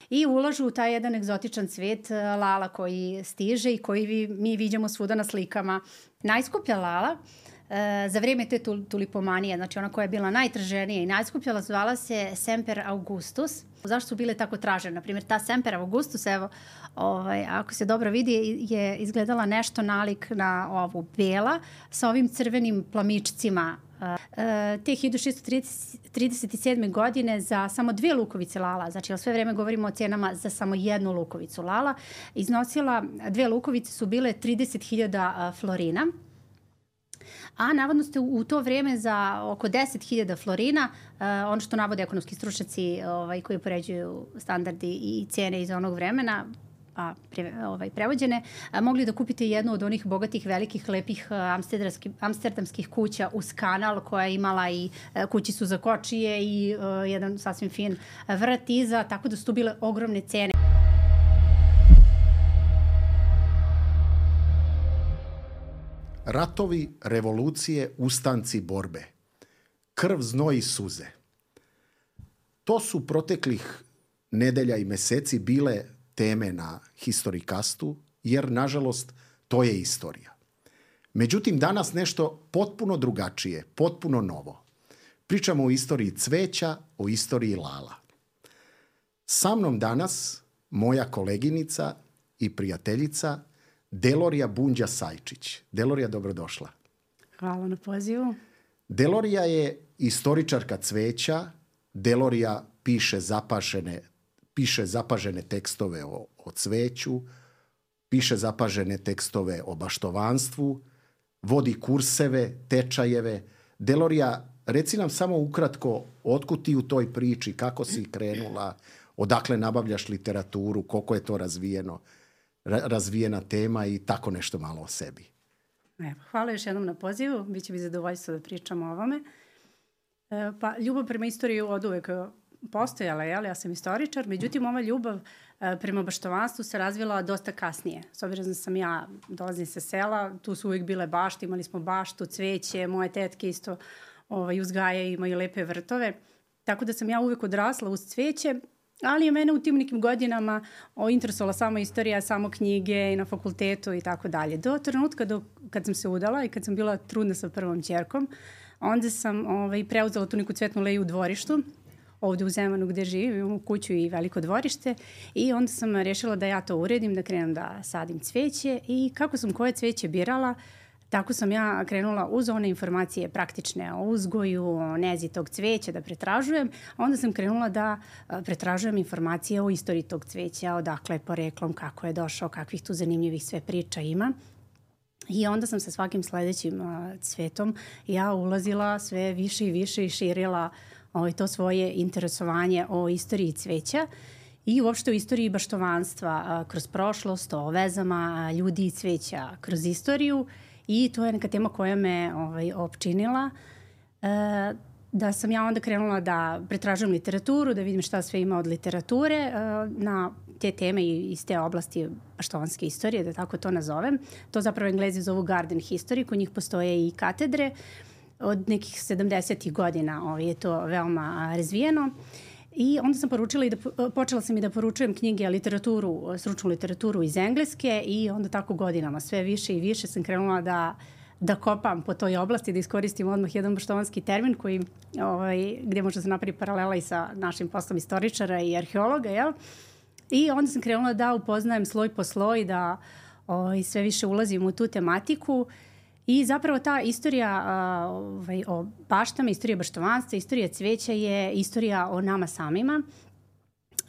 i ulažu u taj jedan egzotičan cvet lala koji stiže i koji mi viđamo svuda na slikama. Najskuplja lala za vreme te tulipomanije, znači ona koja je bila najtraženija i najskuplja, zvala se Semper Augustus. Zašto su bile tako tražene? Naprimjer, ta Semper Augustus, evo, ako se dobro vidi, je izgledala nešto nalik na ovu bela sa ovim crvenim plamičcima. Te 1637. godine za samo 2 lukovice lala, znači sve vreme govorimo o cenama za samo 1 lukovicu lala, iznosila, 2 lukovice su bile 30.000 florina. A navodno ste u to vreme za oko 10.000 florina, ono što navode ekonomski stručnjaci koji upoređuju standardi i cene iz onog vremena, prevođene, mogli da kupite jednu od onih bogatih, velikih, lepih amsterdamskih kuća uz kanal, koja je imala i kućicu za kočije i jedan sasvim fin vrt iza, tako da su tu bile ogromne cene. Ratovi, revolucije, ustanci, borbe. Krv, znoj i suze. To su proteklih nedelja i meseci bile teme na Historikastu, jer, nažalost, to je istorija. Međutim, danas nešto potpuno drugačije, potpuno novo. Pričamo o istoriji cveća, o istoriji lala. Sa mnom danas moja koleginica i prijateljica Delorija Bunđa-Sajčić. Delorija, dobrodošla. Hvala na pozivu. Delorija je istoričarka cveća. Delorija piše zapažene tekstove o cveću, piše zapažene tekstove o baštovanstvu, vodi kurseve, tečajeve. Delorija, reci nam samo ukratko otkud ti u toj priči, kako si krenula, odakle nabavljaš literaturu, koliko je to razvijena tema i tako nešto malo o sebi. Hvala još jednom na pozivu, biće mi zadovoljstvo da pričamo o ovome. Ljubav prema istoriji od uvek postojala, ja sam istoričar, međutim ova ljubav prema baštovanstvu se razvila dosta kasnije. S obzirom da ja dolazim sa sela, tu su uvijek bile bašte, imali smo baštu, cveće, moje tetke isto uzgajaju, imaju lepe vrtove, tako da sam ja uvijek odrasla uz cveće, ali je mene u tim nekim godinama interesovala samo istorija, samo knjige i na fakultetu i tako dalje. Do trenutka kad sam se udala i kad sam bila trudna sa prvom ćerkom, onda sam preuzela tu neku cvetnu leju u dvorištu, ovde u Zemanu gde živim, imam kuću i veliko dvorište, i onda sam rešila da ja to uredim, da krenem da sadim cveće, i kako sam koje cveće birala, tako sam ja krenula uz one informacije praktične o uzgoju, o nezi tog cveća da pretražujem, a onda sam krenula da pretražujem informacije o istoriji tog cveća, odakle je poreklom, kako je došao, kakvih tu zanimljivih sve priča ima. I onda sam sa svakim sledećim cvetom ja ulazila sve više i više i širila to svoje interesovanje o istoriji cveća i uopšte o istoriji baštovanstva kroz prošlost, o vezama ljudi i cveća kroz istoriju, i to je neka tema koja me opčinila. Da sam ja onda krenula da pretražujem literaturu, da vidim šta sve ima od literature na te teme i iz te oblasti baštovanske istorije, da tako to nazovem. To zapravo Englezi zovu garden history, kod njih postoje i katedre. Od nekih 70. godina je to veoma razvijeno. I onda sam počela sam i da poručujem knjige, stručnu literaturu iz Engleske, i onda tako godinama sve više i više sam krenula da kopam po toj oblasti, da iskoristim odmah jedan baštovanski termin gde može se napraviti paralela i sa našim poslom istoričara i arheologa, jel? I onda sam krenula da upoznajem sloj po sloj, da sve više ulazim u tu tematiku. I zapravo ta istorija o baštama, istorija baštovanstva, istorija cveća je istorija o nama samima,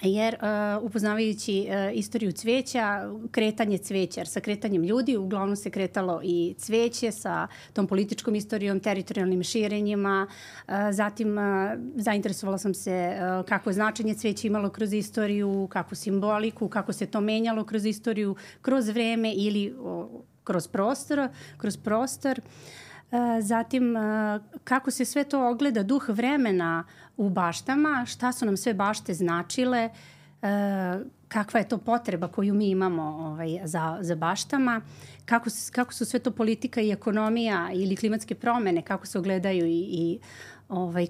jer upoznavajući istoriju cveća, kretanje cveća, jer sa kretanjem ljudi uglavnom se kretalo i cveće, sa tom političkom istorijom, teritorijalnim širenjima, zatim zainteresovala sam se kako je značenje cveća imalo kroz istoriju, kakvu simboliku, kako se to menjalo kroz istoriju, kroz vreme ili kroz prostor. Zatim, kako se sve to ogleda duh vremena u baštama, šta su nam sve bašte značile, kakva je to potreba koju mi imamo za baštama, kako su sve to politika i ekonomija ili klimatske promene, kako se ogledaju i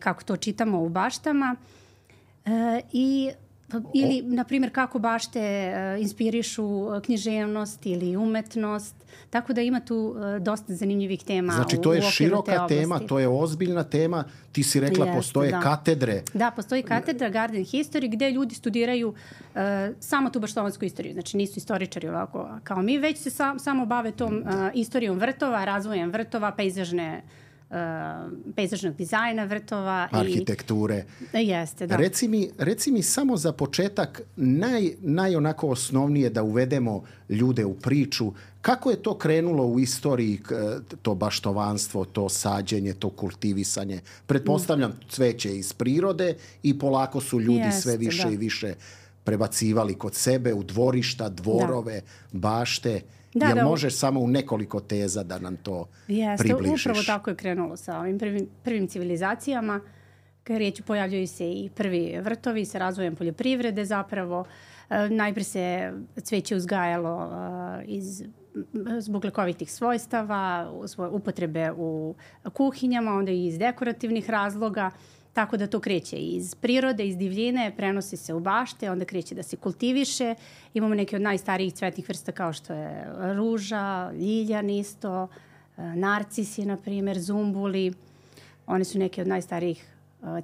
kako to čitamo u baštama. I Ili, na primjer, kako bašte inspirišu književnost ili umetnost. Tako da ima tu dosta zanimljivih tema. Znači, to je široka tema, to je ozbiljna tema. Ti si rekla, postoje katedre. Da, postoji katedra Garden History gde ljudi studiraju samo tu baštovansku istoriju. Znači, nisu istoričari ovako kao mi, već se samo bave tom istorijom vrtova, razvojem vrtova, pejzažnog dizajna vrtova. Arhitekture. Jeste, da. Reci mi samo za početak onako osnovnije da uvedemo ljude u priču. Kako je to krenulo u istoriji, to baštovanstvo, to sađenje, to kultivisanje? Pretpostavljam cveće iz prirode i polako su ljudi sve više i više prebacivali kod sebe u dvorišta, dvorove, bašte. Jel možeš samo u nekoliko teza da nam to približiš? Upravo tako je krenulo sa ovim prvim civilizacijama. Kad riječ pojavljaju se i prvi vrtovi sa razvojem poljoprivrede zapravo. Najprije se cveće uzgajalo zbog lekovitih svojstava, upotrebe u kuhinjama, onda i iz dekorativnih razloga. Tako da to kreće iz prirode, iz divljine, prenosi se u bašte, onda kreće da se kultiviše. Imamo neke od najstarijih cvetnih vrsta kao što je ruža, ljiljan isto, narcisi, na primjer, zumbuli. One su neke od najstarijih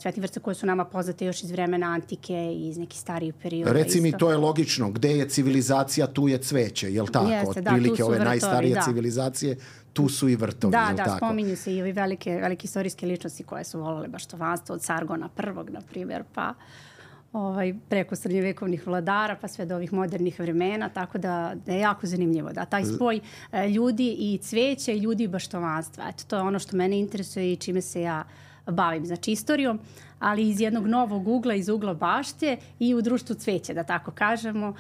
cvetnih vrsta koje su nama poznate još iz vremena antike i iz nekih starijih perioda. Reci mi, to je logično. Gde je civilizacija, tu je cveće, je li tako? Jeste, otprilike ove vrtovi, najstarije civilizacije, tu su i vrtovi, je li tako? Da, spominju se i ovi velike istorijske ličnosti koje su volale baštovanstvo, od Sargona I, na primjer, pa preko srednjovekovnih vladara, pa sve do ovih modernih vremena, tako da je jako zanimljivo. Da, taj spoj ljudi i cveća i ljudi i baštovanstva. Eto, to je ono što mene interesuje i čime se ja bavim, znači istorijom, ali iz jednog novog ugla, iz ugla bašte i u društvu cveća, da tako kažemo.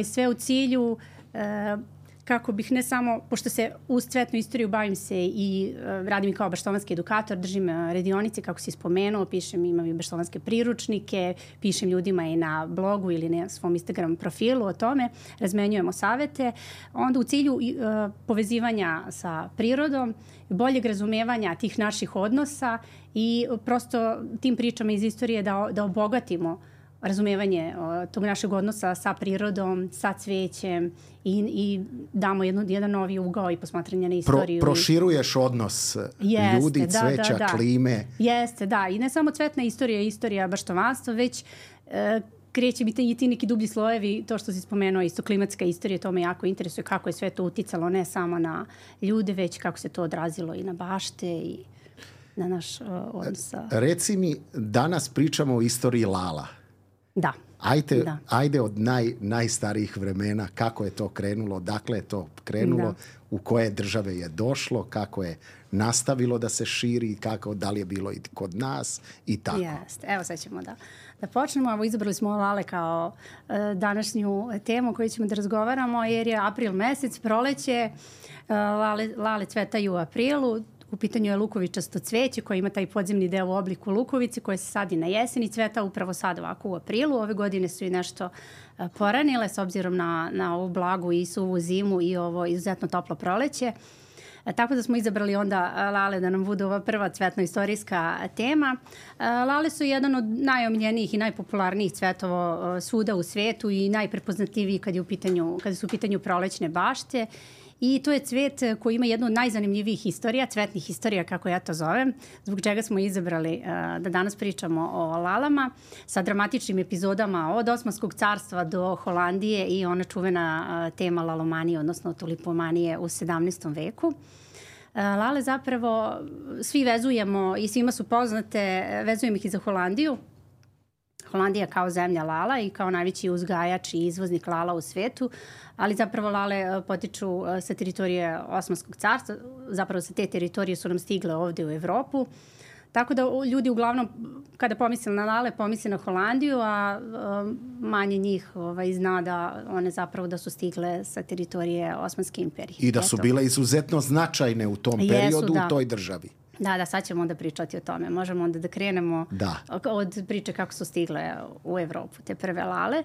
Sve u cilju kako bih ne samo, pošto se uz cvetnu istoriju bavim se i radim i kao baštovanski edukator, držim radionice, kako si spomenuo, imam i baštovanske priručnike, pišem ljudima i na blogu ili na svom Instagram profilu o tome, razmenjujemo savete. Onda u cilju povezivanja sa prirodom, boljeg razumevanja tih naših odnosa i prosto tim pričama iz istorije da obogatimo razumevanje tog našeg odnosa sa prirodom, sa cvećem i damo jedan novi ugao i posmatranje na istoriju. Proširuješ odnos ljudi, cveća, klime. Jeste, da. I ne samo cvetna istorija baštovanstva, već kreće biti i ti neki dublji slojevi, to što si spomenuo, isto klimatska istorija, to me jako interesuje kako je sve to uticalo ne samo na ljude, već kako se to odrazilo i na bašte i na naš odnos. Reci mi, danas pričamo o istoriji Lala. Da. Ajde od najstarijih vremena, kako je to krenulo, dakle je to krenulo, u koje države je došlo, kako je nastavilo da se širi, da li je bilo i kod nas i tako. Jeste. Evo sad ćemo da počnemo. Evo, izabrali smo Lale kao današnju temu koju ćemo da razgovaramo, jer je april mesec, proleće, Lale cvetaju u aprilu. U pitanju je lukovičasto cveće koje ima taj podzemni deo u obliku lukovice koje se sadi na jesen i cveta upravo sad ovako u aprilu. Ove godine su i nešto poranile s obzirom na ovu blagu i suvu zimu i ovo izuzetno toplo proleće. Tako da smo izabrali onda Lale da nam bude ova prva cvetno-istorijska tema. Lale su jedan od najomiljenijih i najpopularnijih cvetova svuda u svetu i najprepoznatljiviji kada su u pitanju prolećne bašte. I to je cvet koji ima jednu od najzanimljivijih istorija, cvetnih istorija kako ja to zovem, zbog čega smo izabrali da danas pričamo o lalama sa dramatičnim epizodama od Osmanskog carstva do Holandije i ona čuvena tema lalomanije, odnosno tulipomanije u 17. veku. Lale zapravo svi vezujemo i svima su poznate, vezujemo ih i za Holandiju. Holandija kao zemlja lala i kao najveći uzgajač i izvoznik lala u svetu, ali zapravo lale potiču sa teritorije Osmanskog carstva, zapravo sa te teritorije su nam stigle ovde u Evropu. Tako da ljudi uglavnom kada pomisle na lale pomisle na Holandiju, a manje njih zna da one zapravo da su stigle sa teritorije Osmanske imperije. I da su bile izuzetno značajne u tom periodu u toj državi. Da, sad ćemo onda pričati o tome. Možemo onda da krenemo od priče kako su stigle u Evropu te prve lale.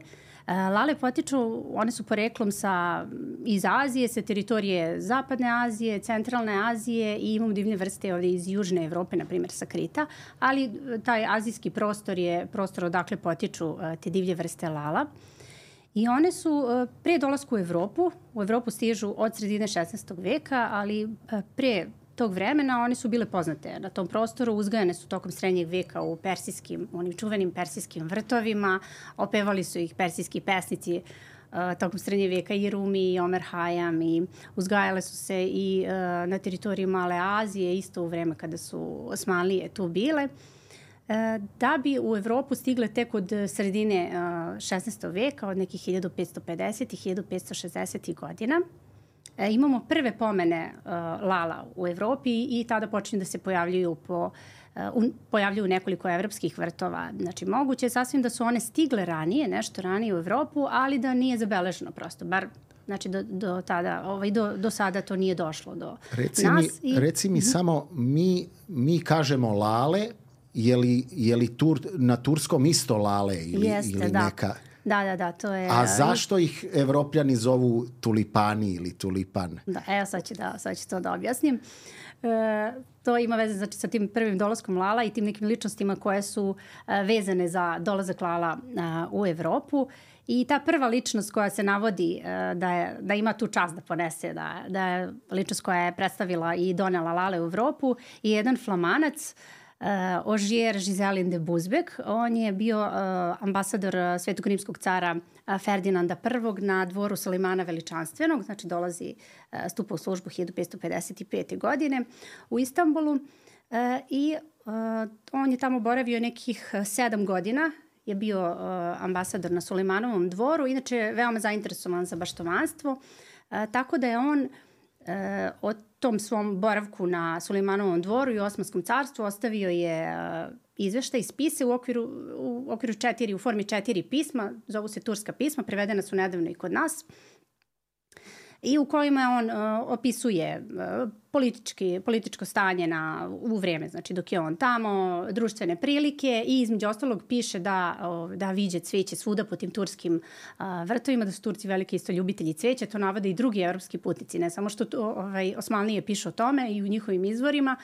Lale potiču, one su poreklom iz Azije, sa teritorije Zapadne Azije, Centralne Azije i imamo divne vrste ovdje iz Južne Evrope, na primjer sa Krita, ali taj azijski prostor je prostor odakle potiču te divlje vrste lala. I one su pre dolasku u Evropu stižu od sredine 16. veka, ali pre tog vremena one su bile poznate na tom prostoru, uzgajane su tokom srednjeg veka u onim čuvenim persijskim vrtovima, opevali su ih persijski pesnici tokom srednjeg veka i Rumi i Omer Hayam i uzgajale su se i na teritoriji Male Azije, isto u vreme kada su Osmanlije tu bile, da bi u Evropu stigle tek od sredine 16. veka, od nekih 1550. i 1560. godina. Imamo prve pomene lala u Evropi i tada počinju da se pojavljuju nekoliko evropskih vrtova. Znači, moguće je sasvim da su one stigle ranije, nešto ranije u Evropu, ali da nije zabeleženo prosto, bar znači do sada to nije došlo do nas. Reci mi samo, mi kažemo lale, je li na turskom isto lale ili neka... Da, to je... A zašto ih Evropljani zovu tulipani ili tulipan? Da, evo sad ću to da objasnim. To ima veze sa tim prvim dolaskom lala i tim nekim ličnostima koje su vezane za dolazak lala u Evropu. I ta prva ličnost koja se navodi da ima tu čast da ponese, da je ličnost koja je predstavila i donela lale u Evropu i jedan Flamanac, Ogier Giselin de Busbek. On je bio ambasador Svetog rimskog cara Ferdinanda I na dvoru Sulemana Veličanstvenog, znači stupa u službu 1555. godine u Istanbulu i on je tamo boravio nekih 7 godina, je bio ambasador na Sulemanovom dvoru, inače je veoma zainteresovan za baštovanstvo, tako da je on o tom svom boravku na Sulemanovom dvoru i Osmanskom carstvu ostavio je izveštaj, spise u formi 4 pisma, zovu se turska pisma, prevedena su nedavno i kod nas, i u kojima on opisuje političko stanje u vreme, znači dok je on tamo, društvene prilike i između ostalog piše da viđe cveće svuda po tim turskim vrtovima, da su Turci veliki isto ljubitelji cveća, to navode i drugi evropski putnici, ne samo što Osmanlije pišu o tome i u njihovim izvorima.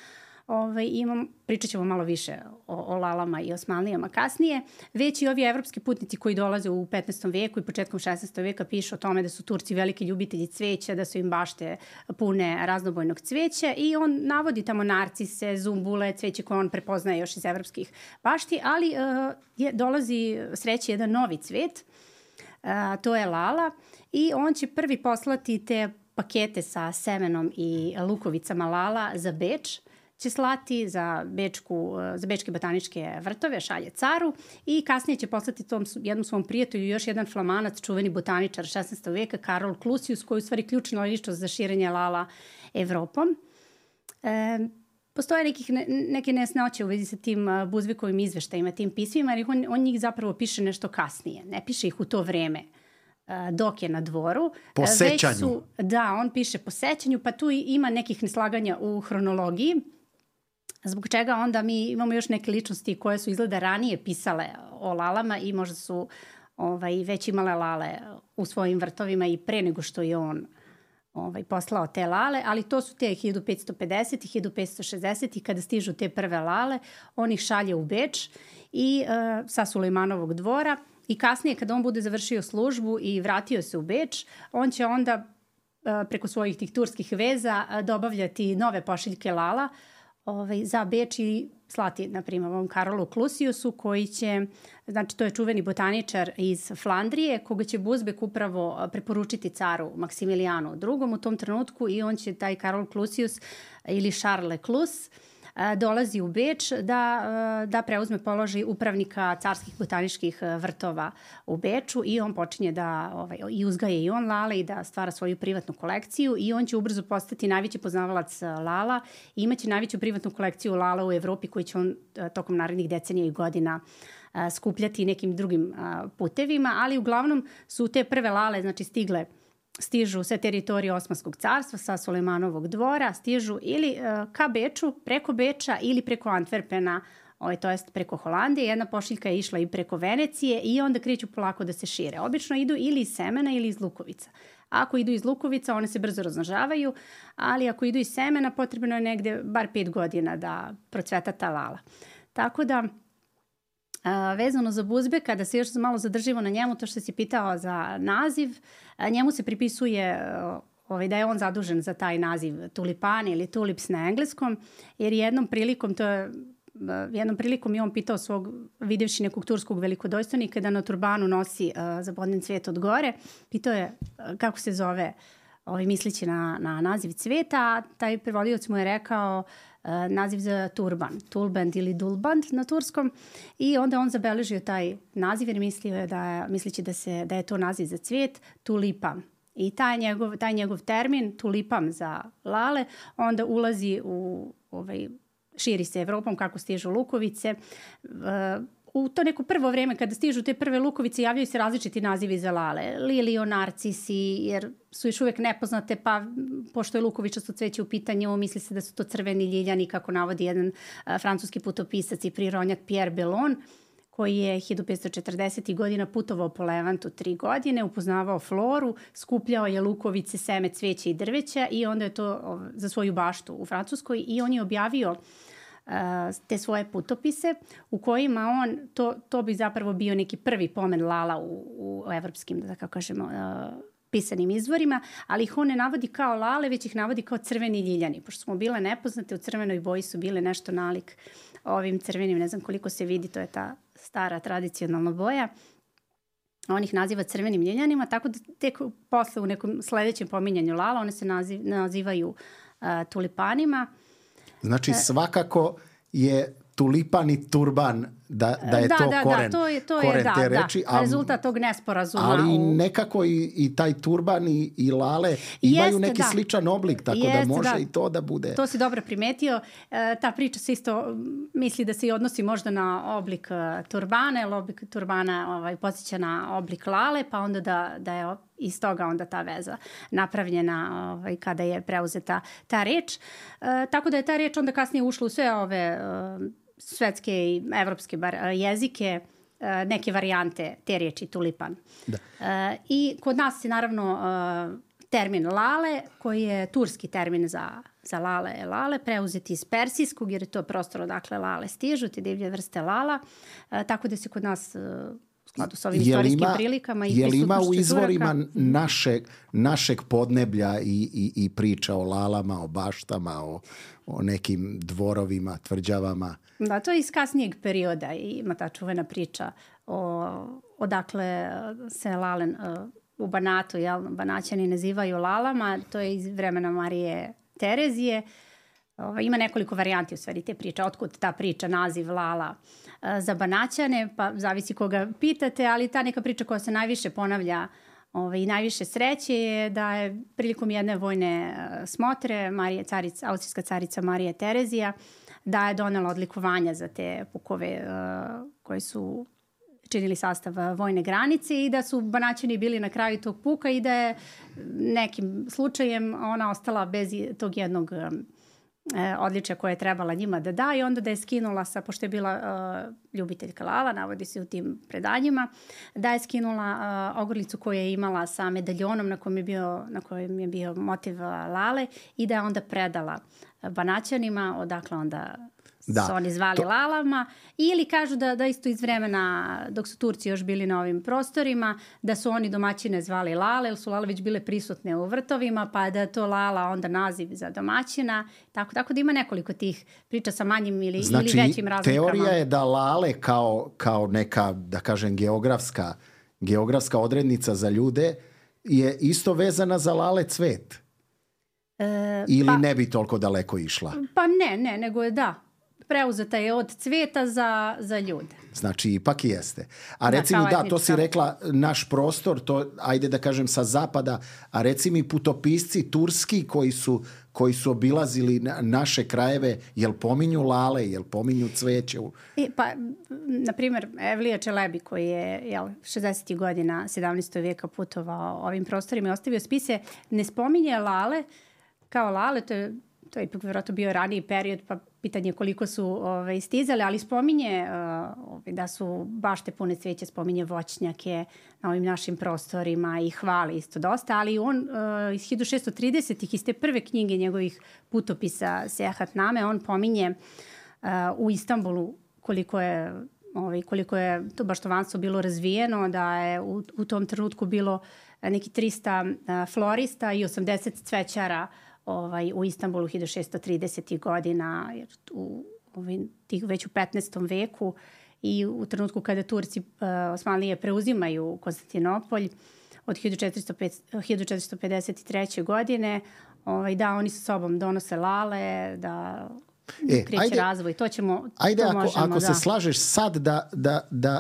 Pričat ćemo malo više o lalama i Osmanlijama kasnije. Već i ovi evropski putnici koji dolaze u 15. veku i početkom 16. veka pišu o tome da su Turci veliki ljubitelji cveća, da su im bašte pune raznobojnog cveća i on navodi tamo narcise, zumbule, cveće koje on prepoznaje još iz evropskih bašti, ali dolazi sreći jedan novi cvet, to je lala i on će prvi poslati te pakete sa semenom i lukovicama lala za Beč, će slati za bečke botaničke vrtove, šalje caru i kasnije će poslati tom jednom svom prijatelju još jedan Flamanac, čuveni botaničar 16. veka, Karol Clusius, koji je u stvari ključna ličnost za širenje lala Evropom. Postoje neke nesnoće u vezi sa tim Busbekovim izveštajima, tim pismima, jer on njih zapravo piše nešto kasnije, ne piše ih u to vreme dok je na dvoru. Po sećanju. On piše po sećanju, pa tu ima nekih neslaganja u hronologiji, zbog čega onda mi imamo još neke ličnosti koje su izgleda ranije pisale o lalama i možda su već imale lale u svojim vrtovima i pre nego što je on poslao te lale, ali to su te 1550 i 1560 kada stižu te prve lale, on ih šalje u Beč i sa Sulejmanovog dvora i kasnije kada on bude završio službu i vratio se u Beč, on će onda preko svojih tih turskih veza dobavljati nove pošiljke lala za Beč i slati, na primjer, ovom Karolu Clusiusu, koji će, znači to je čuveni botaničar iz Flandrije, koga će Busbek upravo preporučiti caru Maksimilijanu II. U tom trenutku i on će, taj Karol Clusius ili Charles Clus, dolazi u Beč da preuzme položaj upravnika carskih botaničkih vrtova u Beču i on počinje da i uzgaje i on lale i da stvara svoju privatnu kolekciju i on će ubrzo postati najveći poznavalac lala i imaće najveću privatnu kolekciju lala u Evropi koju će on tokom narednih decenija i godina skupljati nekim drugim putevima, ali uglavnom su te prve lale znači stižu sa teritorije Osmanskog carstva, sa Sulejmanovog dvora, stižu ili ka Beču, preko Beča ili preko Antwerpena to jest preko Holandije, jedna pošiljka je išla i preko Venecije i onda kreću polako da se šire. Obično idu ili iz semena ili iz lukovica. Ako idu iz lukovica, one se brzo razmnožavaju, ali ako idu iz semena, potrebno je negde bar 5 godina da procveta ta lala. Tako da, vezano za Buzbeka, da se još malo zadržimo na njemu, to što si pitao za naziv, njemu se pripisuje da je on zadužen za taj naziv tulipani ili tulips na engleskom, jer jednom prilikom je on pitao svog, videvši nekog turskog velikodojstvenika da na turbanu nosi zabodnen cvet od gore, pitao je kako se zove mislići na naziv cveta, a taj prevodioc mu je rekao naziv za turban, tulband ili dulband na turskom, i onda on zabeležio taj naziv jer mislio je mislići da je to naziv za cvijet, tulipam. I taj njegov termin, tulipam za lale, onda ulazi širi se Evropom kako stižu lukovice. U to neko prvo vreme kada stižu te prve lukovice javljaju se različiti nazivi za lale. Lilio, narcisi, jer su još uvijek nepoznate, pa pošto je lukovičasto cveće u pitanju, misli se da su to crveni ljiljani, kako navodi jedan francuski putopisac i prirodnjak Pierre Bellon, koji je 1540. godina putovao po Levantu 3 godine, upoznavao floru, skupljao je lukovice, seme, cveće i drveća i onda je to za svoju baštu u Francuskoj i on je objavio te svoje putopise u kojima to bi zapravo bio neki prvi pomen lala u evropskim, da tako kažemo, pisanim izvorima, ali ih on ne navodi kao lale, već ih navodi kao crveni ljiljani. Pošto smo bile nepoznate, u crvenoj boji su bile nešto nalik ovim crvenim, ne znam koliko se vidi, to je ta stara tradicionalna boja. On ih naziva crvenim ljiljanima, tako da tek posle u nekom sledećem pominjanju lala one se nazivaju tulipanima. Znači svakako je tulipan i turban da je to koren, koren te reči. Da, rezultat tog nesporazuma. Ali nekako i taj turban i lale imaju neki sličan oblik, tako da može i to da bude. To si dobro primetio. Ta priča se isto misli da se i odnosi možda na oblik turbana, jer oblik turbana podsjeća na oblik lale, pa onda da je iz toga onda ta veza napravljena kada je preuzeta ta reč. Tako da je ta reč onda kasnije ušla u sve ove svetske i evropske jezike, neke varijante te riječi tulipan. Da. I kod nas je naravno termin lale, koji je turski termin za lale, preuzeti iz persijskog, jer je to prostor odakle lale stižu, te divlje vrste lala, tako da se kod nas u skladu s ovim istorijskim prilikama i prisutnošću ima u izvorima našeg podneblja i priča o lalama, o baštama, o nekim dvorovima, tvrđavama? Da, to je iz kasnijeg perioda i ima ta čuvena priča odakle se lalen u Banatu, Banaćani nazivaju lalama, to je iz vremena Marije Terezije. Ima nekoliko varijanti u stvari te priče, otkud ta priča, naziv lala za Banaćane, pa zavisi koga pitate, ali ta neka priča koja se najviše ponavlja i najviše sreće je da je prilikom jedne vojne smotre austrijska carica Marija Terezija da je donela odlikovanja za te pukove koji su činili sastav vojne granice i da su Banaćani bili na kraju tog puka i da je nekim slučajem ona ostala bez tog jednog odličja koje je trebala njima da da i onda da je skinula pošto je bila ljubiteljka lala, navodi se u tim predanjima, da je skinula ogrlicu koju je imala sa medaljonom na kojem je bio motiv lale i da je onda predala Banaćanima, odakle onda su oni zvali lalama, ili kažu da isto iz vremena dok su Turci još bili na ovim prostorima, da su oni domaćine zvali lale, jer su lale već bile prisutne u vrtovima, pa da je to lala onda naziv za domaćina, tako da ima nekoliko tih priča sa manjim ili većim razlikama. Teorija je da lale kao neka, da kažem, geografska odrednica za ljude je isto vezana za lale cvet. Ili ne bi toliko daleko išla? Pa ne, nego je preuzeta je od cveta za ljude. Znači, ipak jeste. A reci mi, to si rekla, naš prostor, to, ajde da kažem, sa zapada, a reci mi putopisci turski koji su obilazili naše krajeve, jel pominju lale, jel pominju cveće? Pa, na primjer, Evlija Čelebi, koji je 60. godina 17. vijeka putovao ovim prostorima i ostavio spise, ne spominje lale kao lale, to je to je ipak vjerojatno bio raniji period, pa pitanje koliko su stizale, ali spominje da su bašte pune cveća, spominje voćnjake na ovim našim prostorima i hvali isto dosta, ali on iz 1630-ih, iz te prve knjige njegovih putopisa Sejahatname, on pominje u Istanbulu koliko je to baštovanstvo bilo razvijeno, da je u tom trenutku bilo neki 300 florista i 80 cvećara u Istanbulu 1630. godina, već u 15. veku i u trenutku kada Turci Osmanlije preuzimaju Konstantinopolj od 1453. godine, da oni sa sobom donose lale, da kreće razvoj. To ćemo, ajde, to možemo, ako se slažeš sad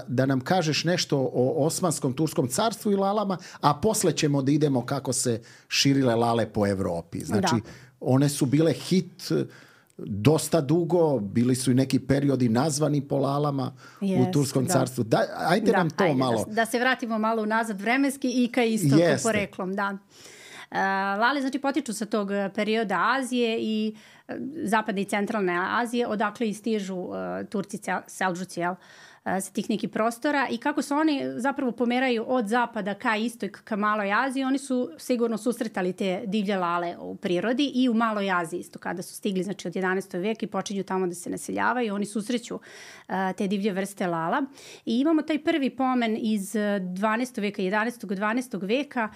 da nam kažeš nešto o Osmanskom Turskom carstvu i lalama, a posle ćemo da idemo kako se širile lale po Evropi. Znači, one su bile hit dosta dugo, bili su i neki periodi nazvani po lalama u Turskom carstvu. Ajde nam to malo. Da se vratimo malo unazad vremenski i ka istoku poreklom. Da. Lale znači potiču sa tog perioda Azije i zapadne i centralne Azije, odakle i stižu Turci Seldžuci, sa tih nekih prostora i kako se oni zapravo pomeraju od zapada ka istoj, ka Maloj Aziji, oni su sigurno susretali te divlje lale u prirodi i u Maloj Aziji isto kada su stigli, znači od 11. veka i počinju tamo da se naseljavaju, oni susreću te divlje vrste lala i imamo taj prvi pomen iz 12. veka, 11. 12. veka,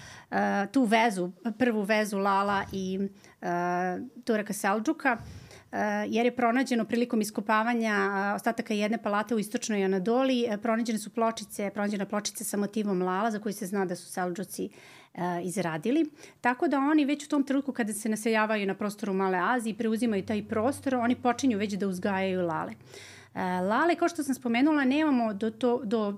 tu vezu, prvu vezu lala i Turaka Seldžuka, jer je pronađeno prilikom iskopavanja ostataka jedne palate u istočnoj Anadoliji, pronađena pločice sa motivom lala za koju se zna da su Seldžuci izradili. Tako da oni već u tom trenutku kada se naseljavaju na prostoru Male Azije i preuzimaju taj prostor, oni počinju već da uzgajaju lale. Lale, kao što sam spomenula, nemamo do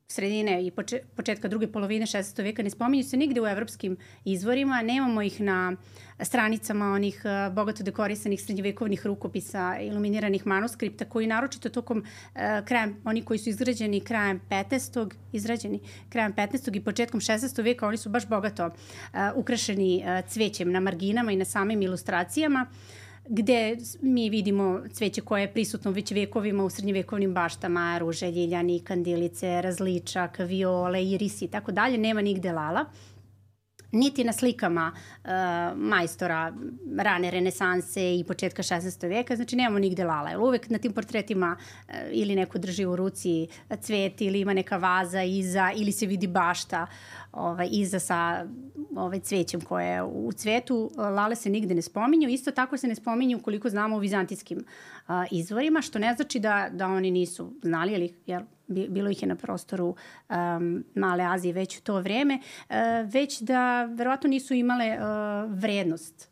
sredine i početka druge polovine 16. veka, ne spominju se nigde u evropskim izvorima, nemamo ih na stranicama onih bogato dekorisanih srednjevekovnih rukopisa, iluminiranih manuskripta, koji naročito tokom oni koji su izgrađeni krajem 15. i početkom 16. veka, oni su baš bogato ukrašeni cvećem na marginama i na samim ilustracijama, gde mi vidimo cveće koje je prisutno već vekovima u srednjevekovnim baštama, ruže, ljiljani, kandilice, različak, viole, irisi i tako dalje, nema nigde lala. Niti na slikama majstora rane renesanse i početka 16. veka, znači nemamo nigde lala. Jer uvek na tim portretima ili neko drži u ruci cvet ili ima neka vaza iza ili se vidi bašta iza sa cvećem koje je u cvetu. Lale se nigde ne spominju. Isto tako se ne spominju koliko znamo u vizantijskim izvorima, što ne znači da oni nisu znali, jer bilo ih je na prostoru Male Azije već u to vreme, već da verovatno nisu imale vrednost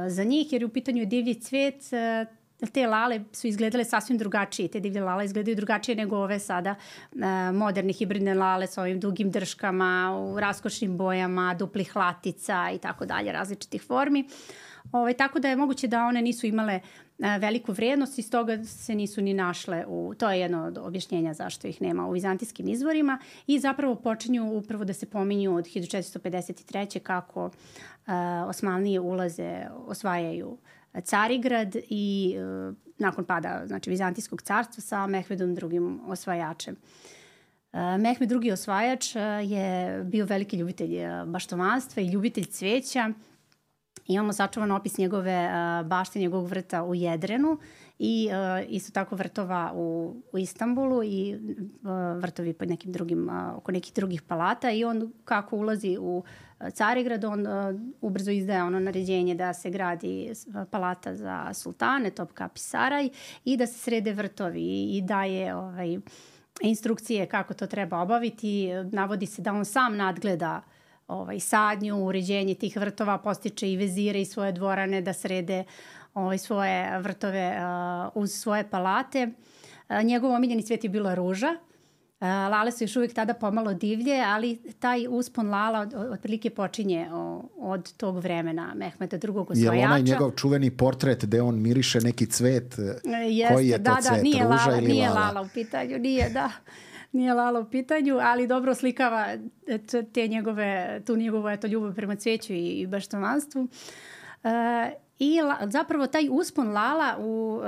za njih, jer u pitanju divlji cvet, te lale su izgledale sasvim drugačije. Te divlje lale izgledaju drugačije nego ove sada moderne hibridne lale sa ovim dugim drškama, u raskošnim bojama, duplih latica i tako dalje, različitih formi. Tako da je moguće da one nisu imale veliku vrednost i stoga se nisu ni našle to je jedno od objašnjenja zašto ih nema u vizantijskim izvorima i zapravo počinju upravo da se pominju od 1453. kako Osmanlije osvajaju Carigrad i nakon pada Vizantijskog carstva sa Mehmedom II. Osvajačem. Mehmed II. Osvajač je bio veliki ljubitelj baštovanstva i ljubitelj cveća. Imamo sačuvan opis njegove bašte, njegovog vrta u Jedrenu i isto tako vrtova u Istanbulu i vrtovi pod nekim drugim, oko nekih drugih palata i on kako ulazi u Carigrad, on ubrzo izdaje ono naređenje da se gradi palata za sultane, Topkapi Saraj i da se srede vrtovi i daje instrukcije kako to treba obaviti. Navodi se da on sam nadgleda sadnju, uređenje tih vrtova, postiče i vezire i svoje dvorane da srede svoje vrtove uz svoje palate. Njegov omiljeni cvet je bila ruža. Lale su još uvijek tada pomalo divlje, ali taj uspon lala otprilike počinje od tog vremena Mehmeda II. Osvajača. Je li onaj njegov čuveni portret gde on miriše neki cvet? Koji je to cvet? Nije ruža lala, ili nije lala? lala u pitanju, nije lala u pitanju, ali dobro oslikava tu njegovu ljubav prema cveću i baštovanstvu. I zapravo taj uspon Lala u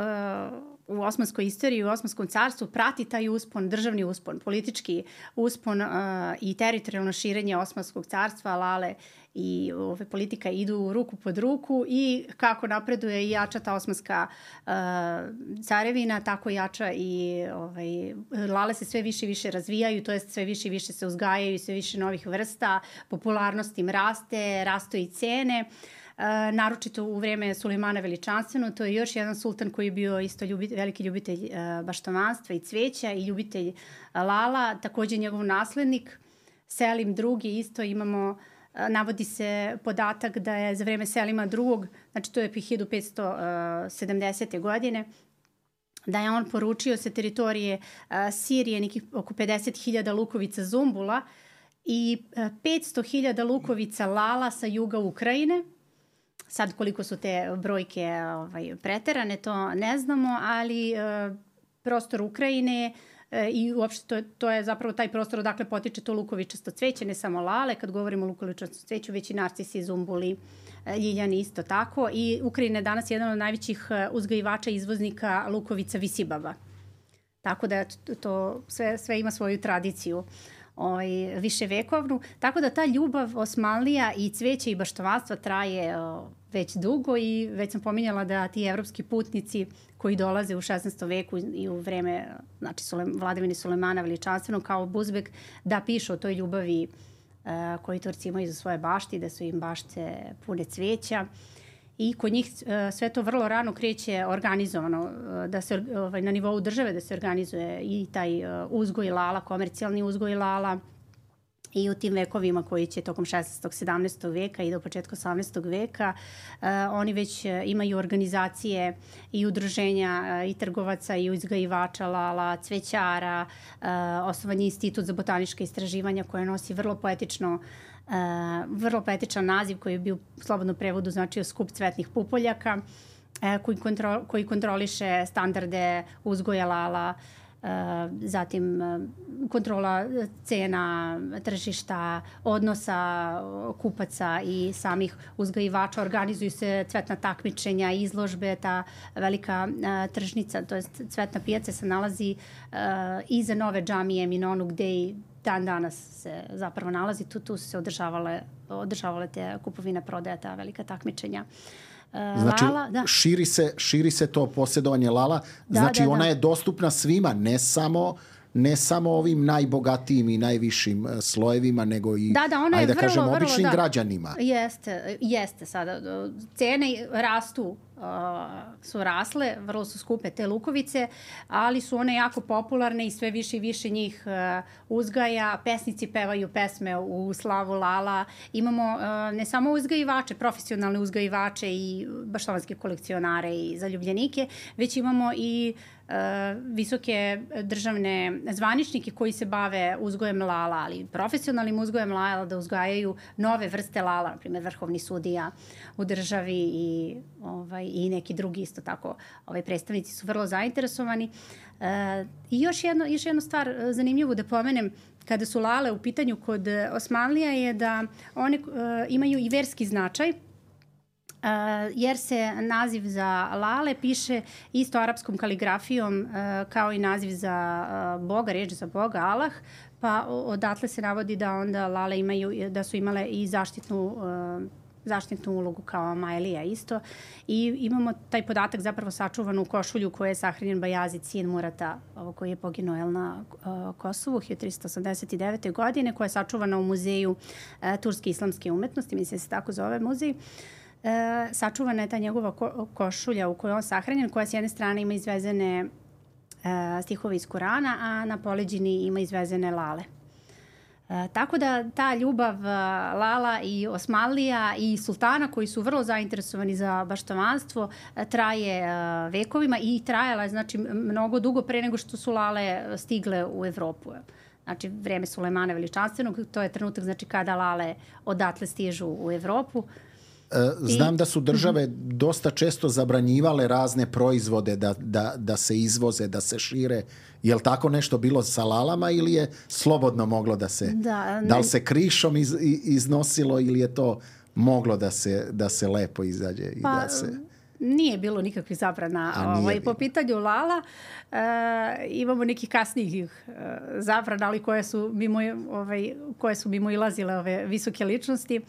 osmanskoj istoriji, u Osmanskom carstvu prati taj uspon, državni uspon, politički uspon i teritorijalno širenje Osmanskog carstva. Lale i politika idu ruku pod ruku i kako napreduje i jača ta Osmanska carevina, tako jača i Lale se sve više i više razvijaju, to jest sve više i više se uzgajaju, sve više novih vrsta, popularnost im rastu i cene. Naročito u vreme Sulejmana Veličanstvenog, to je još jedan sultan koji je bio isto veliki ljubitelj baštovanstva i cveća i ljubitelj Lala, također njegov naslednik Selim II, isto imamo, navodi se podatak da je za vreme Selima II, znači to je 1570. godine, da je on poručio sa teritorije Sirije nekih oko 50.000 lukovica zumbula i 500.000 lukovica Lala sa juga Ukrajine. Sad koliko su te brojke preterane, to ne znamo, ali prostor Ukrajine i uopšte to je zapravo taj prostor odakle potiče to lukovičasto cveće, ne samo Lale, kad govorimo o lukovičastom cveću, već i narcisi, zumbuli, ljiljani isto tako. I Ukrajina je danas jedan od najvećih uzgajivača i izvoznika lukovica visibaba. Tako da to sve ima svoju tradiciju viševekovnu. Tako da ta ljubav Osmanlija i cveće i baštovanstva traje već dugo i već sam pominjala da ti evropski putnici koji dolaze u 16. veku i u vreme vladavine Sulejmana Veličanstvenog kao Buzbek da pišu o toj ljubavi koji Turci imaju za svoje bašti, da su im bašte pune cveća. I kod njih sve to vrlo rano kreće organizovano, da se na nivou države da se organizuje i taj uzgoj Lala, komercijalni uzgoj Lala i u tim vekovima koji će tokom 16. 17. veka i do početka 18. veka oni već imaju organizacije i udruženja i trgovaca i uzgajivača Lala, cvećara, osnovan je Institut za botanička istraživanja koje nosi vrlo poetičan naziv koji je bio u slobodnom prevodu značio skup cvetnih pupoljaka koji kontroliše standarde uzgoja Lala, zatim kontrola cena, tržišta, odnosa kupaca i samih uzgajivača. Organizuju se cvetna takmičenja, izložbe, ta velika tržnica, to jest cvetna pijaca se nalazi iza nove džamije Minonu gde i dan danas se zapravo nalazi. Tu su se održavale te kupovine, prodaja, ta velika takmičenja. Znači, Lala, da. širi se to posjedovanje Lala. Znači, ona je dostupna svima, ne samo ovim najbogatijim i najvišim slojevima, nego i, ona je običnim građanima. Jeste sada. Cene rastu, su rasle, vrlo su skupe te lukovice, ali su one jako popularne i sve više i više njih uzgaja. Pesnici pevaju pesme u slavu Lala. Imamo ne samo uzgajivače, profesionalne uzgajivače i baštovanske kolekcionare i zaljubljenike, već imamo i visoke državne zvaničnike koji se bave uzgojem Lala, ali profesionalnim uzgojem Lala, da uzgajaju nove vrste Lala, na primjer vrhovni sudija u državi i neki drugi isto tako. Predstavnici su vrlo zainteresovani. I još jednu stvar zanimljivu da pomenem kada su Lale u pitanju kod Osmanlija je da one imaju i verski značaj, jer se naziv za Lale piše isto arapskom kaligrafijom kao i naziv za Boga, reč za Boga, Allah, pa odatle se navodi da onda Lale da su imale i zaštitnu ulogu kao Maelija isto. I imamo taj podatak zapravo sačuvan u košulju koje je sahranjen Bajazid, sin Murata, koji je poginuo na Kosovu 1389. godine, koja je sačuvana u muzeju Turske islamske umetnosti, mislim da se tako zove muzej. Sačuvana je ta njegova košulja u kojoj on sahranjen, koja s jedne strane ima izvezene stihove iz Kurana, a na poleđini ima izvezene Lale. Tako da ta ljubav Lala i Osmanlija i sultana koji su vrlo zainteresovani za baštovanstvo traje vekovima i trajala je znači mnogo dugo pre nego što su Lale stigle u Evropu. Znači vreme Sulejmana Veličanstvenog, to je trenutak znači kada Lale odatle stižu u Evropu. Znam da su države dosta često zabranjivale razne proizvode da se izvoze, da se šire. Je li tako nešto bilo sa Lalama ili je slobodno moglo da se... Da li se krišom iznosilo ili je to moglo da se lepo izađe i da se... Nije bilo nikakvih zabrana po pitanju Lala. Imamo nekih kasnijih zabrana, ali koje su mimo ilazile ove visoke ličnosti,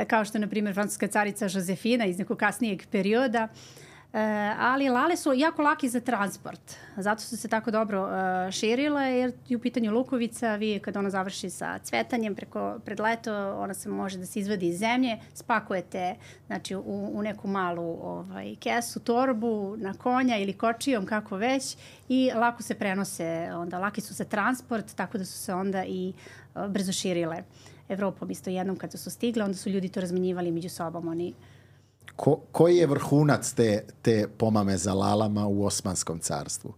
kao što je, na primjer, francuska carica Josefina iz nekog kasnijeg perioda. Ali lale su jako laki za transport. Zato su se tako dobro širile, jer je u pitanju lukovica, vi kad ona završi sa cvetanjem pred leto, ona se može da se izvadi iz zemlje, spakujete znači, u neku malu kesu, torbu, na konja ili kočijom, kako već, i lako se prenose, onda laki su za transport, tako da su se onda i brzo širile Evropom. Isto jednom kada su stigle, onda su ljudi to razmenjivali među sobom, oni. Koji je vrhunac te pomame za lalama u Osmanskom carstvu?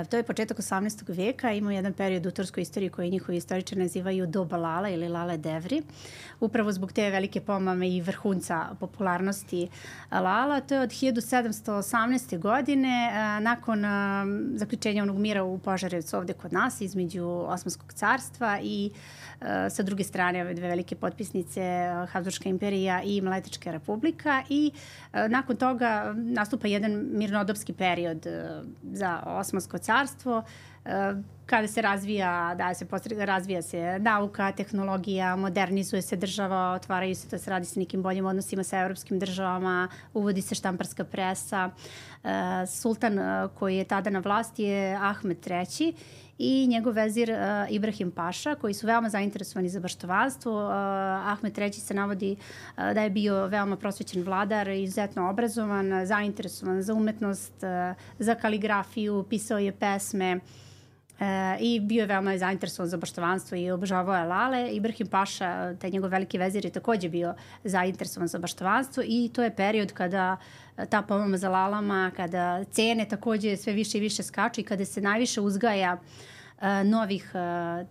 To je početak 18. veka. Ima jedan period u turskoj istoriji koji njihovi istoričari nazivaju doba Lala ili Lale Devri. Upravo zbog te velike pomame i vrhunca popularnosti Lala. To je od 1718. godine nakon zaključenja onog mira u Požarevcu ovde kod nas između Osmanskog carstva i sa druge strane ove dve velike potpisnice Habsburška imperija i Mletačka republika, i nakon toga nastupa jedan mirnodopski period za Osmansko carstvo, kada se razvija se nauka, tehnologija, modernizuje se država, otvaraju se, to se radi sa nekim boljim odnosima sa evropskim državama, uvodi se štamparska presa. Sultan koji je tada na vlasti je Ahmed III i njegov vezir Ibrahim Paša, koji su veoma zainteresovani za baštovanstvo. Ahmed III se navodi da je bio veoma prosvećen vladar, izuzetno obrazovan, zainteresovan za umetnost, za kaligrafiju, pisao je pesme, i bio je veoma zainteresovan za baštovanstvo i obožavao je lale. Ibrahim Paša, taj njegov veliki vezir, je takođe bio zainteresovan za baštovanstvo, i to je period kada ta pomama za lalama, kada cene takođe sve više i više skaču i kada se najviše uzgaja novih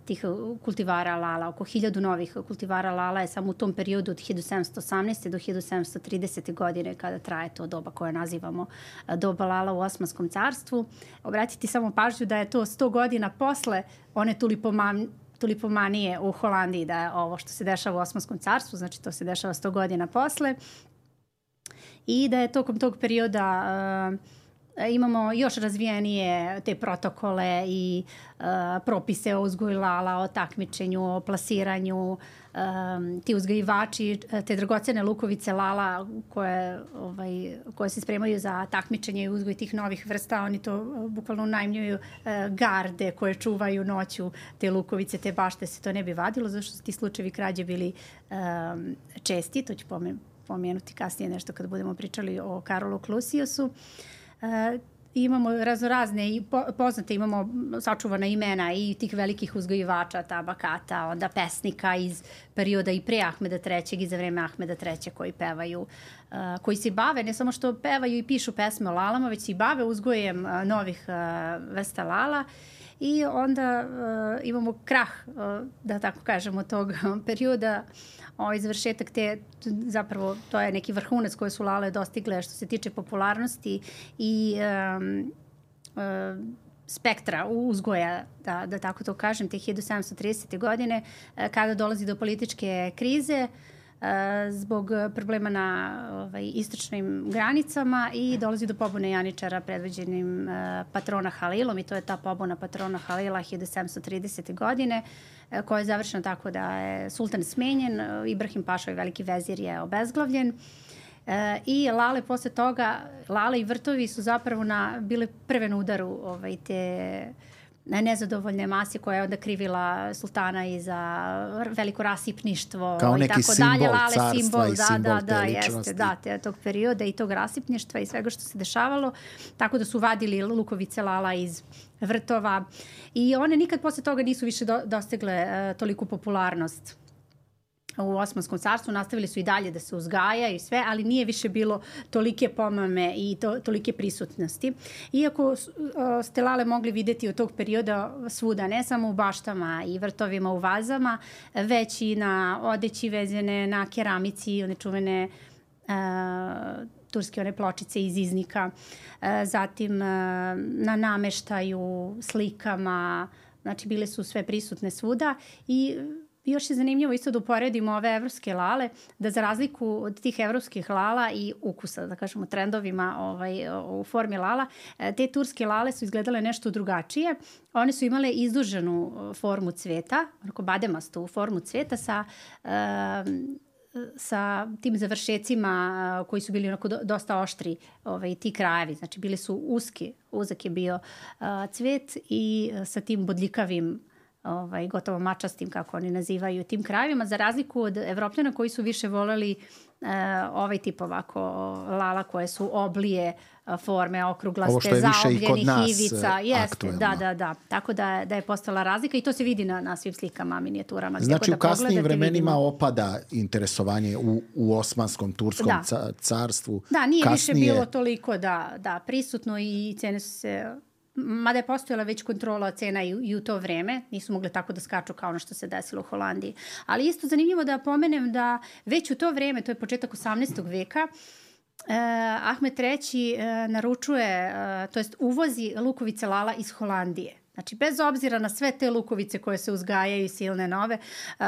tih kultivara lala. Oko 1000 novih kultivara lala je samo u tom periodu od 1718. do 1730. godine, kada traje to doba koje nazivamo doba lala u Osmanskom carstvu. Obratiti samo pažnju da je to 100 godina posle one tulipomanije u Holandiji, da je ovo što se dešava u Osmanskom carstvu, znači to se dešava 100 godina posle, i da je tokom tog perioda imamo još razvijenije te protokole i propise o uzgoju lala, o takmičenju, o plasiranju. Ti uzgajivači, te dragocene lukovice lala koje se spremaju za takmičenje i uzgoj tih novih vrsta, oni to bukvalno unajmljuju garde koje čuvaju noću te lukovice, te bašte, se to ne bi vadilo, zašto su ti slučajevi krađe bili česti. To ću pomenuti kasnije nešto kad budemo pričali o Karolu Klusijusu. Imamo raznorazne i poznate, imamo sačuvana imena i tih velikih uzgojivača tabakata, onda pesnika iz perioda i pre Ahmeda III i za vreme Ahmeda III koji pevaju, koji se bave, ne samo što pevaju i pišu pesme o lalama, već se i bave uzgojem novih vrsta lala. I onda imamo krah, da tako kažemo, tog perioda, završetak zapravo to je neki vrhunac koje su lale dostigle što se tiče popularnosti i spektra uzgoja, da tako to kažem, te 1730. godine, kada dolazi do političke krize zbog problema na istočnim granicama i dolazi do pobune janičara predvođenim patrona Halilom, i to je ta pobuna patrona Halila 1730. godine, koja je završena tako da je sultan smenjen, Ibrahim Paša, veliki vezir, je obezglavljen. I lale posle toga, lale i vrtovi su zapravo bile prve na udaru te nezadovoljne mase koja je onda krivila sultana i za veliko rasipništvo kao neki simbol carstva i simbol te ličnosti. Jeste, tog perioda i tog rasipništva i svega što se dešavalo, tako da su vadili lukovice lala iz vrtova i one nikad posle toga nisu više dostigle toliku popularnost u Osmanskom carstvu. Nastavili su i dalje da se uzgaja i sve, ali nije više bilo tolike pomame i tolike prisutnosti. Iako ste lale mogli videti od tog perioda svuda, ne samo u baštama i vrtovima u vazama, već i na odeći vezene, na keramici, one čuvene turske one pločice iz iznika, zatim na nameštaju, slikama, znači bile su sve prisutne svuda i još je zanimljivo isto da uporedimo ove evropske lale, da za razliku od tih evropskih lala i ukusa, da kažemo trendovima u formi lala, te turske lale su izgledale nešto drugačije. One su imale izduženu formu cveta, onako bademastu formu cveta sa tim završecima koji su bili onako dosta oštri, ti krajevi. Znači bili su uzak je bio cvet i sa tim bodljikavim, gotovo mačastim, kako oni nazivaju, tim krajevima, za razliku od Evropljana koji su više voleli ovaj tip ovako lala koje su oblije forme, okruglaste, zaobljenih ivica. Jeste, da. Tako da je postala razlika i to se vidi na svim slikama, minijaturama. Znači u kasnijim vremenima opada interesovanje u Osmanskom, Turskom carstvu. Da, nije više bilo toliko prisutno i cene su se... Mada je postojala već kontrola cena i u to vreme, nisu mogli tako da skaču kao ono što se desilo u Holandiji. Ali isto zanimljivo da pomenem da već u to vreme, to je početak 18. veka, Ahmet III naručuje, to jest uvozi lukovice lala iz Holandije. Znači, bez obzira na sve te lukovice koje se uzgajaju, silne nove,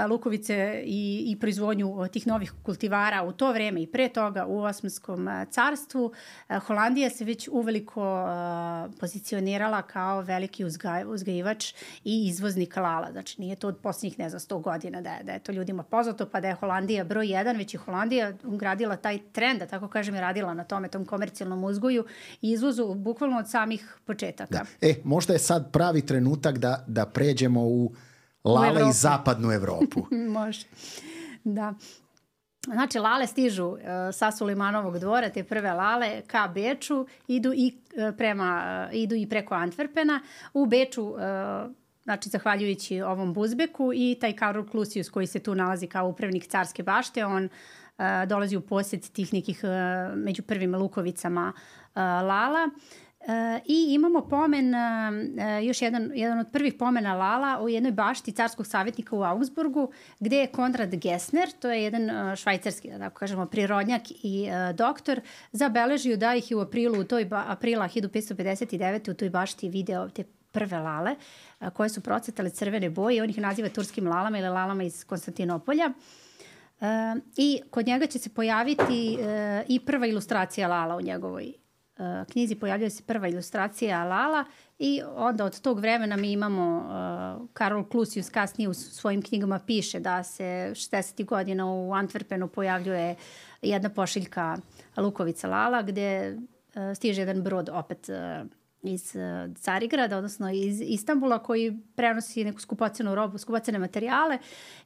lukovice i proizvodnju tih novih kultivara u to vreme i pre toga u Osmanskom carstvu, Holandija se već uveliko pozicionirala kao veliki uzgajivač i izvoznik lala. Znači, nije to od posljednjih, 100 godina da je to ljudima poznato, pa da je Holandija broj 1, već je Holandija ugradila taj trend, da tako kažem, je radila na tom komercijalnom uzgoju i izvozu bukvalno od samih početaka. Možda je sad pravi trenutak da pređemo u lale i zapadnu Evropu. Može, da. Znači, lale stižu sa Sulejmanovog dvora, te prve lale ka Beču, idu i preko Antwerpena. U Beču, znači, zahvaljujući ovom Buzbeku i taj Karol Klusius koji se tu nalazi kao upravnik carske bašte, on dolazi u posjed tih nekih među prvim lukovicama lala. I imamo pomen, još jedan od prvih pomena lala u jednoj bašti carskog savjetnika u Augsburgu, gde je Konrad Gessner, to je jedan švajcarski, da tako kažemo, prirodnjak i doktor, zabeležio da ih je u aprila 1559. u toj bašti video te prve lale koje su procvetale crvene boje. On ih naziva turskim lalama ili lalama iz Konstantinopolja. I kod njega će se pojaviti i prva ilustracija lala u njegovoj knjizi. Pojavljuje se prva ilustracija lala i onda od tog vremena mi imamo Karol Klusius kasnije u svojim knjigama piše da se 60. godina u Antwerpenu pojavljuje jedna pošiljka lukovica lala gde stiže jedan brod opet iz Carigrada, odnosno iz Istanbula, koji prenosi neku skupocenu robu, skupocene materijale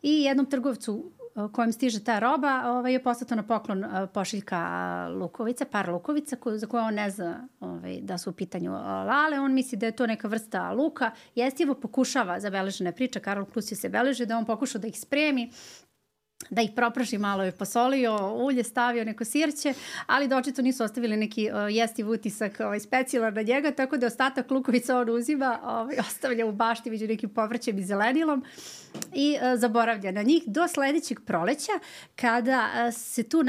i jednom trgovcu kojem stiže ta roba je poslato na poklon pošiljka lukovica, par lukovica za koje on ne zna da su u pitanju lale. On misli da je to neka vrsta luka. Jestivo pokušava, zabeležena je priča, Karol Klusius se beleži da on pokušao da ih spremi, da ih propraži, malo je posolio, ulje stavio, neko sirće, ali da očito nisu ostavili neki jestiv utisak specijalan na njega, tako da ostatak lukovica on uzima, ostavlja u bašti među nekim povrćem i zelenilom i zaboravlja na njih do sledećeg proleća, kada se tu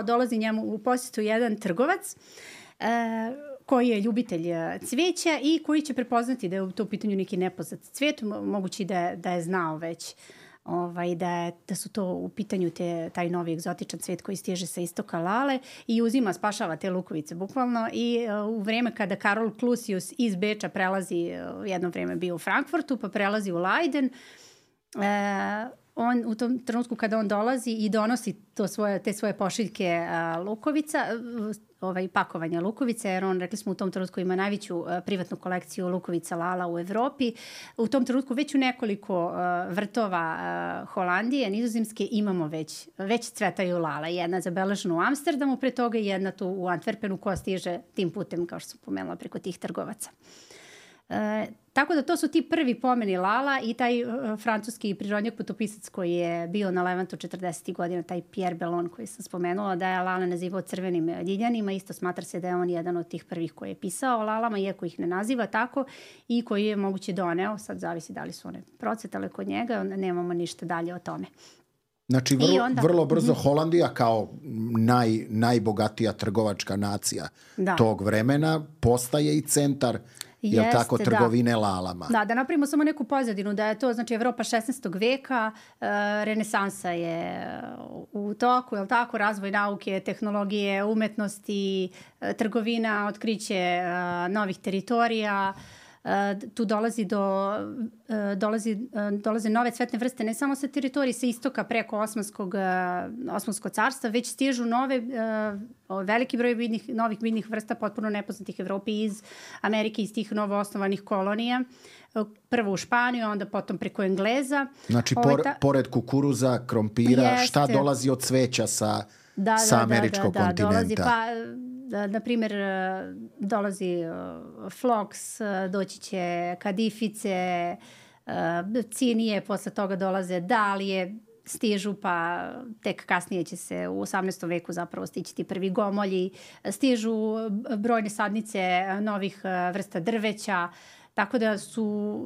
dolazi njemu u posjetu jedan trgovac koji je ljubitelj cveća i koji će prepoznati da je u to pitanju neki nepoznat cvet, mogući da je znao već da su to u pitanju taj novi egzotičan cvet koji stiže sa istoka lale i spašava te lukovice bukvalno. I u vreme kada Karol Klusius iz Beča prelazi, jedno vreme bio u Frankfurtu, pa prelazi u Leiden, on u tom trenutku kada on dolazi i donosi te svoje pošiljke lukovica, pakovanja lukovice, jer on, rekli smo, u tom trenutku ima najveću privatnu kolekciju lukovica lala u Evropi. U tom trenutku već u nekoliko vrtova Holandije, Nizozemske, imamo već cvetaju lala. Jedna je zabeležena u Amsterdamu, pre toga i jedna tu u Antwerpenu koja stiže tim putem, kao što sam pomenula, preko tih trgovaca. Tako da to su ti prvi pomeni lala i taj francuski prirodnjak putopisac koji je bio na Levantu 40. godina, taj Pierre Bellon koji sam spomenula, da je lale nazivao crvenim ljiljanima. Isto smatra se da je on jedan od tih prvih koji je pisao o lalama, iako ih ne naziva tako, i koji je moguće doneo, sad zavisi da li su one procvetale kod njega, nemamo ništa dalje o tome. Znači, vrlo brzo Holandija kao najbogatija trgovačka nacija tog vremena postaje i centar jel tako, trgovine lalama. Da napravimo samo neku pozadinu, da je to, znači, Evropa 16. veka, renesansa je u toku, jel tako, razvoj nauke, tehnologije, umetnosti, trgovina, otkriće novih teritorija, tu dolaze nove cvetne vrste, ne samo sa teritorije sa istoka preko Osmanskog carstva, već stižu veliki broj novih biljnih vrsta potpuno nepoznatih Evropi iz Amerike, iz tih novoosnovanih kolonija. Prvo u Španiju, onda potom preko Engleza. Znači, pored kukuruza, krompira, šta dolazi od cveća sa američkog kontinenta? Dolazi, na primjer, dolazi floks, doći će kadifice, cinije, posle toga dolaze dalije, stižu, pa tek kasnije će se u 18. veku zapravo stići ti prvi gomolji, stižu brojne sadnice novih vrsta drveća, tako da su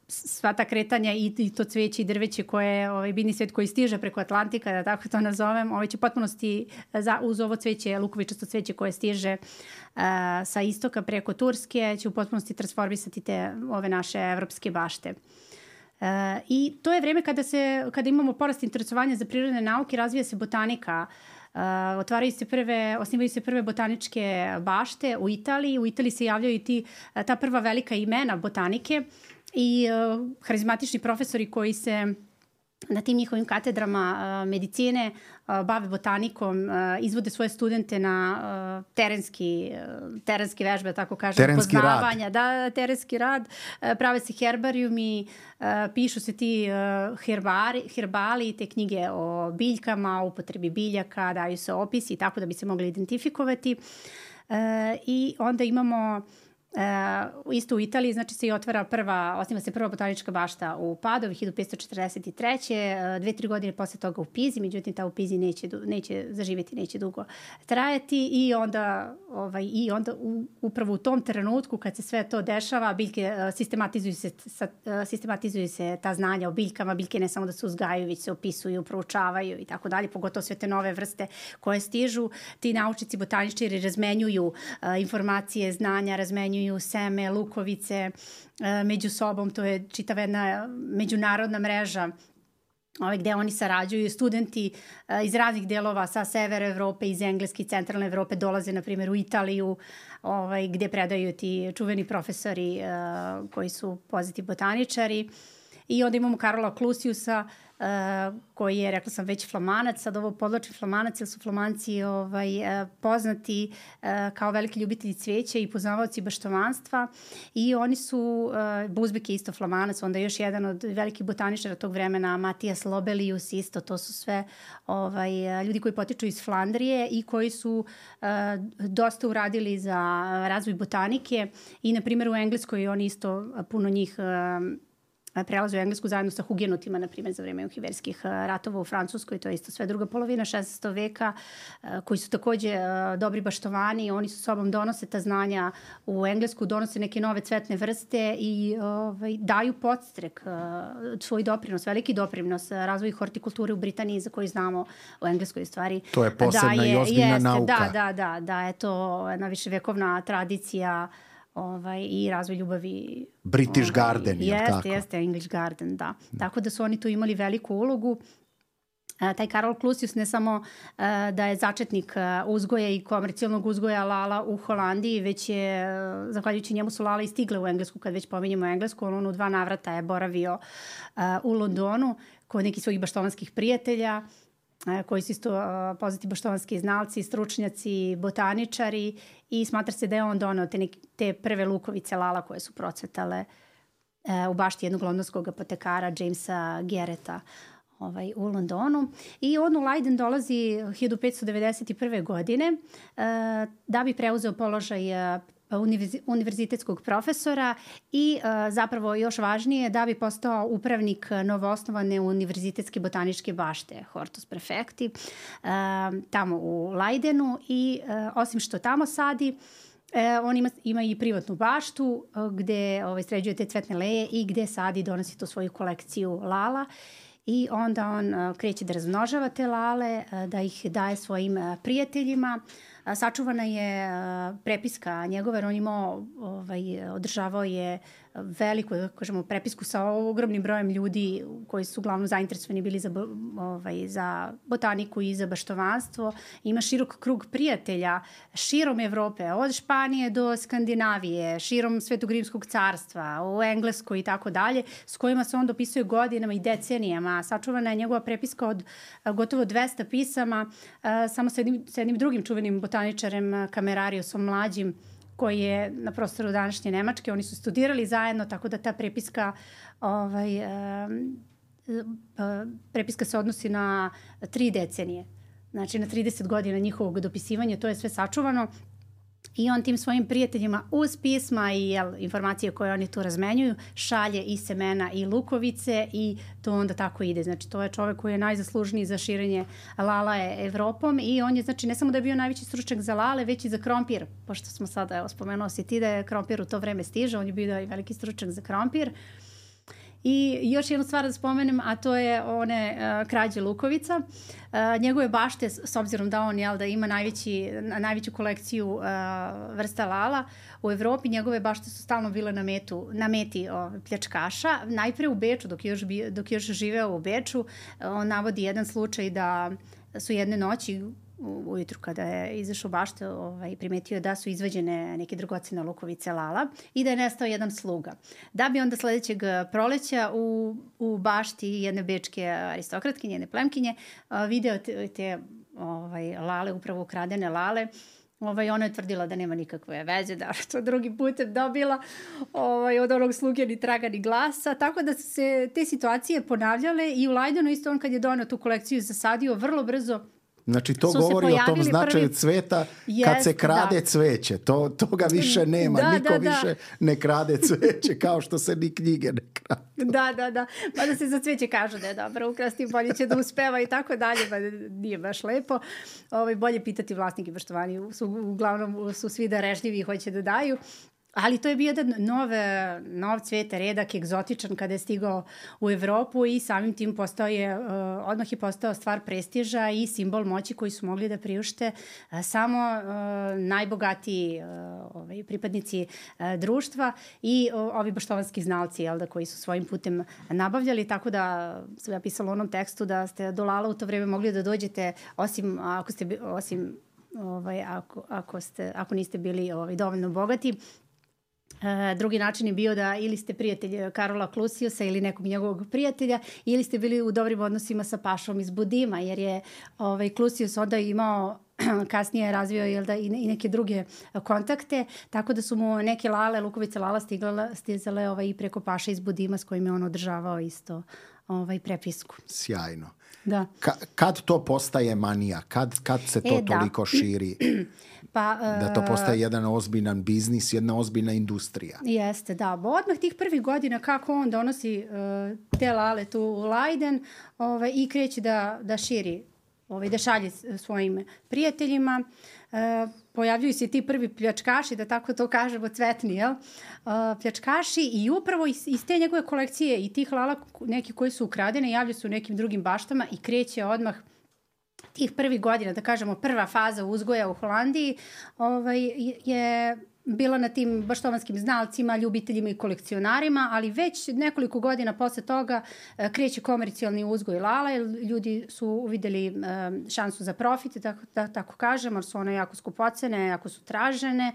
sva ta kretanja i to cveće i drveće koje, biljni svet koji stiže preko Atlantika, da tako to nazovem, će potpunosti uz ovo cveće, lukovičasto cveće koje stiže sa istoka preko Turske, će u potpunosti transformisati ove naše evropske bašte. I to je vreme kada imamo porast interesovanja za prirodne nauke, razvija se botanika, osnivaju se prve botaničke bašte u Italiji. U Italiji se javljaju i ta prva velika imena botanike i harizmatični profesori koji se na tim njihovim katedrama medicine bave botanikom, izvode svoje studente na terenske vežbe, tako kažem, poznavanja. Da, terenski rad, prave se herbarijumi, pišu se ti herbali, te knjige o biljkama, o upotrebi biljaka, daju se opisi tako da bi se mogli identifikovati. I onda imamo isto u Italiji, znači se i osniva se prva botanička bašta u Padovi 1543. 2-3 godine posle toga u Pizi, međutim ta u Pizi neće zaživjeti, neće dugo trajati i onda upravo u tom trenutku kad se sve to dešava, biljke sistematizuju se ta znanja o biljkama, biljke ne samo da se uzgajaju, već se opisuju, proučavaju i tako dalje, pogotovo sve te nove vrste koje stižu. Ti naučnici, botaničari razmenjuju informacije, znanja, razmenjuju seme, lukovice među sobom, to je čitava jedna međunarodna mreža gde oni sarađuju. Studenti iz raznih delova sa severa Evrope, iz Engleske i centralne Evrope dolaze, na primjer, u Italiju, gde predaju ti čuveni profesori koji su poznati botaničari. I onda imamo Karola Clusiusa, koji je, rekla sam, već Flamanac. Sad ovo podlačim Flamanac, jer su Flamanci poznati kao veliki ljubitelji cveća i poznavaoci baštovanstva. I oni su, Buzbek je isto Flamanac, onda još jedan od velikih botaničara tog vremena, Matijas Lobelius isto. To su sve ljudi koji potiču iz Flandrije i koji su dosta uradili za razvoj botanike. I, na primjer, u Engleskoj oni isto, puno njih prelaze u Englesku zajedno sa hugenotima, na primjer, za vreme uhiverskih ratova u Francuskoj, to je isto sve druga polovina 16. veka, koji su takođe dobri baštovani. Oni su sobom donose ta znanja u Englesku, donose neke nove cvetne vrste i daju podstrek, svoj doprinos, veliki doprinos razvoju hortikulture u Britaniji, za koju znamo u Engleskoj stvari. To je posebna i ozbiljna nauka. Da, je to jedna viševekovna tradicija i razvoj ljubavi. British Garden, je li tako? Jeste, English Garden, da. Tako da su oni tu imali veliku ulogu. Taj Karol Clusius ne samo da je začetnik uzgoja i komercijalnog uzgoja lala u Holandiji, već je, zahvaljujući njemu su lala i stigle u Englesku, kad već pominjemo Englesku. On u 2 navrata je boravio u Londonu kod nekih svojih baštovanskih prijatelja, koji su isto poznati baštovanski znalci, stručnjaci, botaničari, i smatra se da je on doneo te prve lukovice lala koje su procvetale u bašti jednog londonskog apotekara Jamesa Garretta u Londonu. I on u Leiden dolazi 1591. godine da bi preuzeo položaj univerzitetskog profesora i zapravo još važnije da bi postao upravnik novoosnovane univerzitetske botaničke bašte Hortus Prefecti tamo u Leidenu. I osim što tamo sadi, on ima i privatnu baštu gde sređuje te cvetne leje i gde sadi i donosi tu svoju kolekciju lala. I onda on kreće da razmnožava te lale, da ih daje svojim prijateljima. Sačuvana je prepiska njegova, jer on imao, održavao je veliku, kažemo, prepisku sa ogromnim brojem ljudi koji su uglavnom zainteresovani bili za botaniku i za baštovanstvo. Ima širok krug prijatelja širom Evrope, od Španije do Skandinavije, širom Svetogrimskog carstva, u Engleskoj i tako dalje, s kojima se on dopisuje godinama i decenijama. Sačuvana je njegova prepiska od gotovo 200 pisama, samo sa jednim drugim čuvenim botaničarem, Kamerariusom mlađim, koji je na prostoru današnje Nemačke. Oni su studirali zajedno, tako da ta prepiska prepiska se odnosi na 3 decenije. Znači na 30 godina njihovog dopisivanja, to je sve sačuvano. I on tim svojim prijateljima uz pisma i informacije koje oni tu razmenjuju šalje i semena i lukovice i to onda tako ide. Znači to je čovek koji je najzaslužniji za širenje lalae Evropom i on je, znači, ne samo da je bio najveći stručnjak za lale, već i za krompir. Pošto smo sada, spomenuo si ti da je krompir u to vreme stiže, on je bio i veliki stručnjak za krompir. I još jednu stvar da spomenem, a to je one krađe lukovica. Njegove bašte, s obzirom da on da ima najveću kolekciju vrsta lala u Evropi, njegove bašte su stalno bile na meti pljačkaša. Najpre u Beču, dok je još živeo u Beču, on navodi jedan slučaj da su jedne noći ujutru kada je izašao bašte, primetio da su izvađene neke dragocene lukovice lala i da je nestao jedan sluga. Da bi onda sledećeg proleća u bašti jedne bečke aristokratkinje, jedne plemkinje, video te lale, upravo ukradene lale. Ona je tvrdila da nema nikakve veze, da to drugi putem dobila od onog sluge ni traga ni glasa, tako da su se te situacije ponavljale i u Leidenu isto on kad je donao tu kolekciju zasadio vrlo brzo. Znači to govori o tom značaju cveta kad se krade cveće. Toga više nema. Niko više ne krade cveće kao što se ni knjige ne krade. Da. Mada se za cveće kažu da je dobro ukrasti, bolje će da uspeva i tako dalje. Pa nije baš lepo. Bolje pitati vlasnike baštovani. Uglavnom su svi darežljivi i hoće da daju. Ali to je bio jedan nov cvet, redak, egzotičan kada je stigao u Evropu i samim tim odmah je postao stvar prestiža i simbol moći koji su mogli da priušte samo najbogatiji pripadnici društva i ovi baštovanski znalci koji su svojim putem nabavljali, tako da sam ja pisala u onom tekstu da ste do lala u to vreme mogli da dođete ako niste bili dovoljno bogati. Drugi način je bio da ili ste prijatelj Karola Klusijusa ili nekog njegovog prijatelja ili ste bili u dobrim odnosima sa pašom iz Budima, jer je Klusijus onda imao kasnije razvio i neke druge kontakte, tako da su mu neke lukovice lala stizale i preko paša iz Budima s kojim je on održavao isto prepisku. Sjajno. Da. Kad to postaje manija? Kad se to toliko širi? Da to postaje jedan ozbiljan biznis, jedna ozbiljna industrija. Jeste, da. Odmah tih prvih godina kako on donosi te lale tu u Leiden i kreće da širi, da šalje svojim prijateljima. Pojavljuju se ti prvi pljačkaši, da tako to kažemo, cvetni, pljačkaši i upravo iz te njegove kolekcije i tih lala, neki koji su ukradene, javljaju se u nekim drugim baštama i kreće odmah tih prvih godina, da kažemo, prva faza uzgoja u Holandiji je bila na tim baštovanskim znalcima, ljubiteljima i kolekcionarima, ali već nekoliko godina posle toga kreće komercijalni uzgoj lala, jer ljudi su uvideli šansu za profit, da tako kažem, jer su one jako skupocene, jako su tražene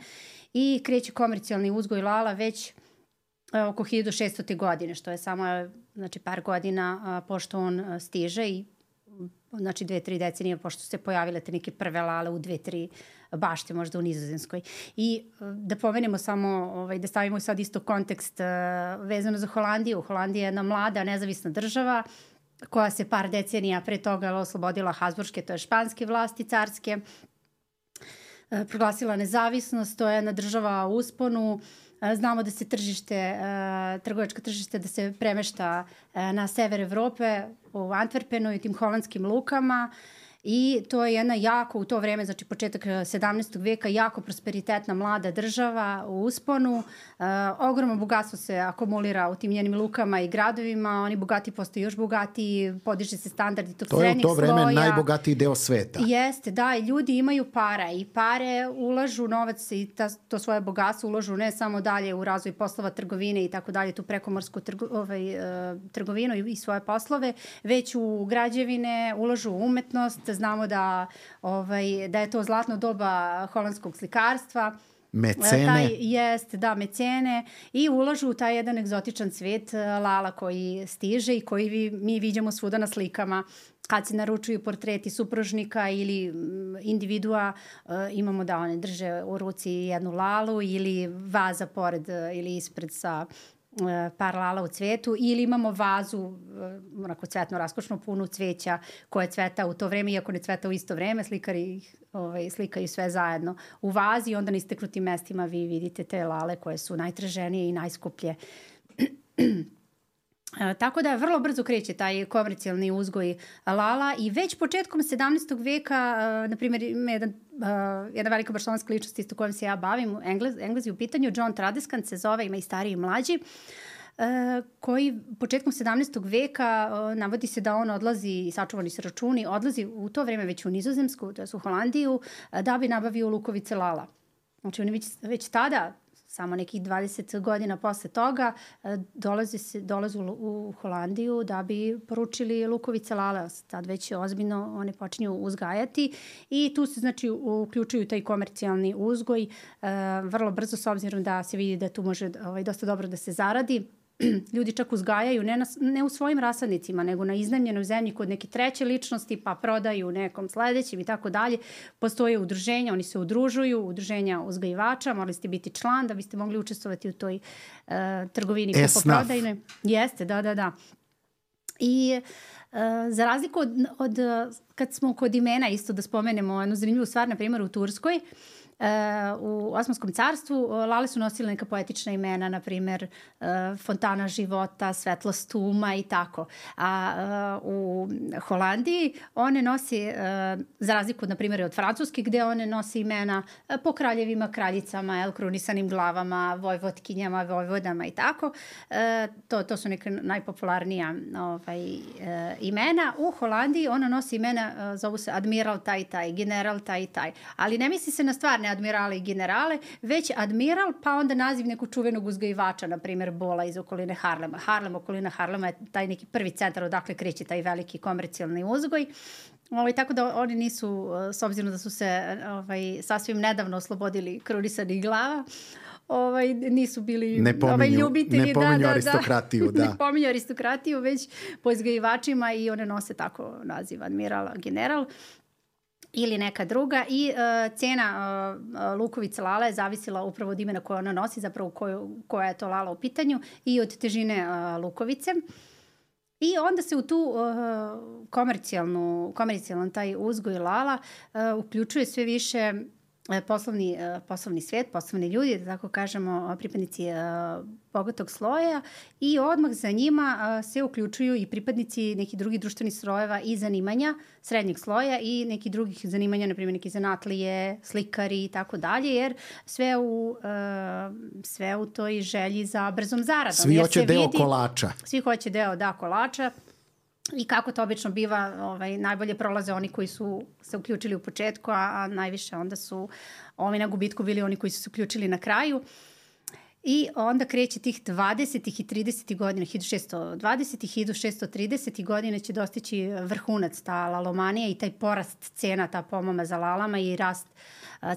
i kreće komercijalni uzgoj lala već oko 1600. godine, što je samo par godina pošto on stiže i 2-3 decenije pošto su se pojavile te neke prve lale u 2-3 bašte, možda u Nizozemskoj. I da pomenemo samo, da stavimo sad isto kontekst vezano za Holandiju. Holandija je jedna mlada, nezavisna država koja se par decenija pre toga oslobodila Habsburške, to je španske vlasti, carske, proglasila nezavisnost, to je jedna država u usponu. Znamo da se trgovačko tržište da se premešta na sever Evrope, u Antwerpenu i tim holandskim lukama I to je jedna jako u to vreme, znači početak 17. veka, jako prosperitetna mlada država u usponu. Ogromno bogatstvo se akumulira u tim njenim lukama i gradovima, oni bogati postaju još bogatiji, podiže se standardi tog srednjeg sloja. To je u to vreme najbogatiji deo sveta. Jeste, da, i ljudi imaju para i pare ulažu novac i to svoje bogatstvo ulažu ne samo dalje u razvoj poslova trgovine i tako dalje, tu prekomorsku trgovinu i svoje poslove, već u građevine, ulažu u umetnost. Znamo da je to zlatno doba holandskog slikarstva. Mecene. Mecene. I ulažu u taj jedan egzotičan svet Lala koji stiže i koji mi viđamo svuda na slikama. Kad se naručuju portreti supružnika ili individua, imamo da one drže u ruci jednu Lalu ili vaza pored ili ispred sa par Lala u cvetu, ili imamo vazu onako cvetno raskošno punu cveća koje cveta u to vreme, iako ne cveta u isto vreme, slikari slikaju sve zajedno u vazi i onda na isteknutim mestima vi vidite te Lale koje su najtraženije i najskuplje. Tako da vrlo brzo kreće taj komercijalni uzgoj Lala i već početkom 17. veka, na primjer, jedna velika barcelonska ličnost isto kojom se ja bavim, Englez je u pitanju, John Tradescant se zove, ima i stariji i mlađi, koji početkom 17. veka navodi se da on odlazi, i sačuvani se računi, odlazi u to vreme već u Nizozemsku, to je u Holandiju, da bi nabavio lukovice Lala. Znači oni već tada, samo nekih 20 godina posle toga, dolaze u Holandiju da bi poručili lukovice Lala. Tad već ozbiljno one počinju uzgajati i tu se znači uključuju taj komercijalni uzgoj vrlo brzo, s obzirom da se vidi da tu može dosta dobro da se zaradi. Ljudi čak uzgajaju ne u svojim rasadnicima, nego na iznajmljenoj zemlji kod neke treće ličnosti, pa prodaju nekom sledećem i tako dalje. Postoje udruženja, oni se udružuju, udruženja uzgajivača, morali ste biti član da biste mogli učestvovati u toj trgovini kupoprodajnoj. Jeste, da. I za razliku od kad smo kod imena isto da spomenemo jednu zanimljivu stvar, na primjer u Turskoj, u Osmanskom carstvu Lale su nosile neka poetična imena, na primjer Fontana života, Svetlost uma i tako. A u Holandiji one nosi, za razliku na primjer od Francuske, gde one nosi imena po kraljevima, kraljicama, krunisanim glavama, vojvotkinjama, vojvodama i tako. To su neka najpopularnija imena. U Holandiji ona nosi imena, zovu se admiral taj, general taj. Ali ne misli se na stvarne admirale i generale, već admiral, pa onda naziv nekog čuvenog uzgajivača, na primjer Bola iz okoline Harlema. Okolina Harlema je taj neki prvi centar odakle kreće taj veliki komercijalni uzgoj. Tako da oni nisu, s obzirom da su se sasvim nedavno oslobodili krunisanih glava, nisu bili ljubitelji. Ne pominju aristokratiju, da. Ne pominju aristokratiju, već po izgajivačima i one nose tako naziv admiral, general ili neka druga i cena lukovice Lala je zavisila upravo od imena koje ona nosi, zapravo koja je to Lala u pitanju i od težine lukovice. I onda se u tu komercijalno taj uzgoj Lala uključuje sve više poslovni svet, poslovni ljudi, da tako kažemo, pripadnici bogatog sloja i odmah za njima se uključuju i pripadnici nekih drugih društvenih slojeva i zanimanja srednjeg sloja i nekih drugih zanimanja, na primjer neki zanatlije, slikari i tako dalje, jer sve u toj želji za brzom zaradom. Svi hoće deo kolača. Svi hoće deo kolača. I kako to obično biva, najbolje prolaze oni koji su se uključili u početku, a najviše onda su na gubitku bili oni koji su se uključili na kraju. I onda kreće tih 20. i 30. godina, 1620. i 1630. godine će dostići vrhunac ta lalomanija i taj porast cena, ta pomama za lalama i rast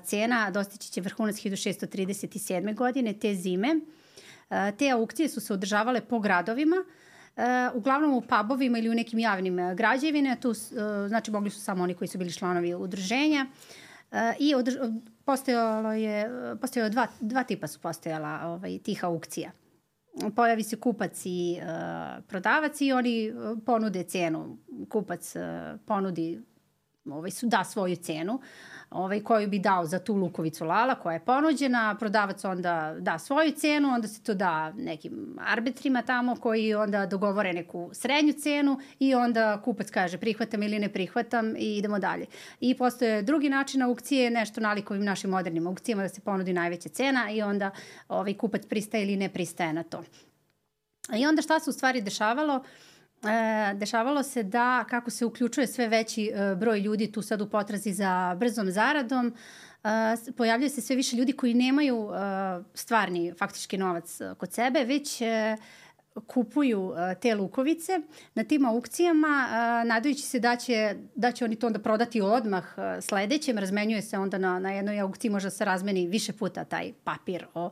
cena dostići će vrhunac 1637. godine, te zime. Te aukcije su se održavale po gradovima, uglavnom u pubovima ili u nekim javnim građevine, tu znači mogli su samo oni koji su bili članovi udruženja i postojalo dva tipa su postojala tih aukcija. Pojavi se kupac i prodavac i oni ponude cenu. Kupac ponudi da svoju cenu, koju bi dao za tu lukovicu lala koja je ponuđena, prodavac onda da svoju cenu, onda se to da nekim arbitrima tamo koji onda dogovore neku srednju cenu i onda kupac kaže prihvatam ili ne prihvatam i idemo dalje. I postoje drugi način aukcije, nešto nalik ovim našim modernim aukcijama da se ponudi najveća cena i onda kupac pristaje ili ne pristaje na to. I onda šta se u stvari dešavalo? Dešavalo se da kako se uključuje sve veći broj ljudi tu sad u potrazi za brzom zaradom, pojavljaju se sve više ljudi koji nemaju stvarni faktički novac kod sebe, već kupuju te lukovice na tim aukcijama, nadajući se da će oni to onda prodati odmah sledećem. Razmenjuje se onda na jednoj aukciji, možda se razmeni više puta taj papir o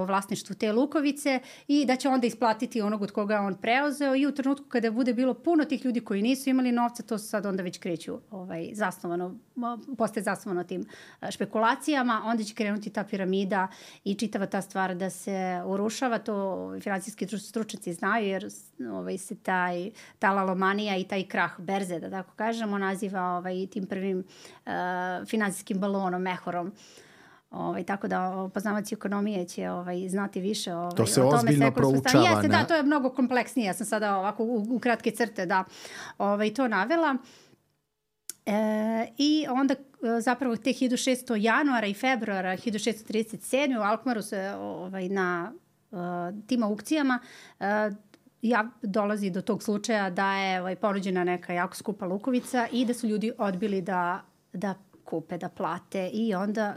vlasništvu te lukovice i da će onda isplatiti onog od koga on preuzeo i u trenutku kada bude bilo puno tih ljudi koji nisu imali novca, to sad onda već kreću postaje zasnovano tim špekulacijama, onda će krenuti ta piramida i čitava ta stvar da se urušava. To finansijski stručnjaci znaju jer se ta lalomanija i taj krah berze, da tako kažemo, naziva tim prvim finansijskim balonom, mehorom. Tako da poznavaci ekonomije će znati više to se ozbiljno proučava. Jeste, da, to je mnogo kompleksnije. Ja sam sada ovako u kratke crte to navela. I onda zapravo te 1600 januara i februara 1637. u Alkmaru se na tim aukcijama dolazi do tog slučaja da je ponuđena neka jako skupa lukovica i da su ljudi odbili da kupe, da plate i onda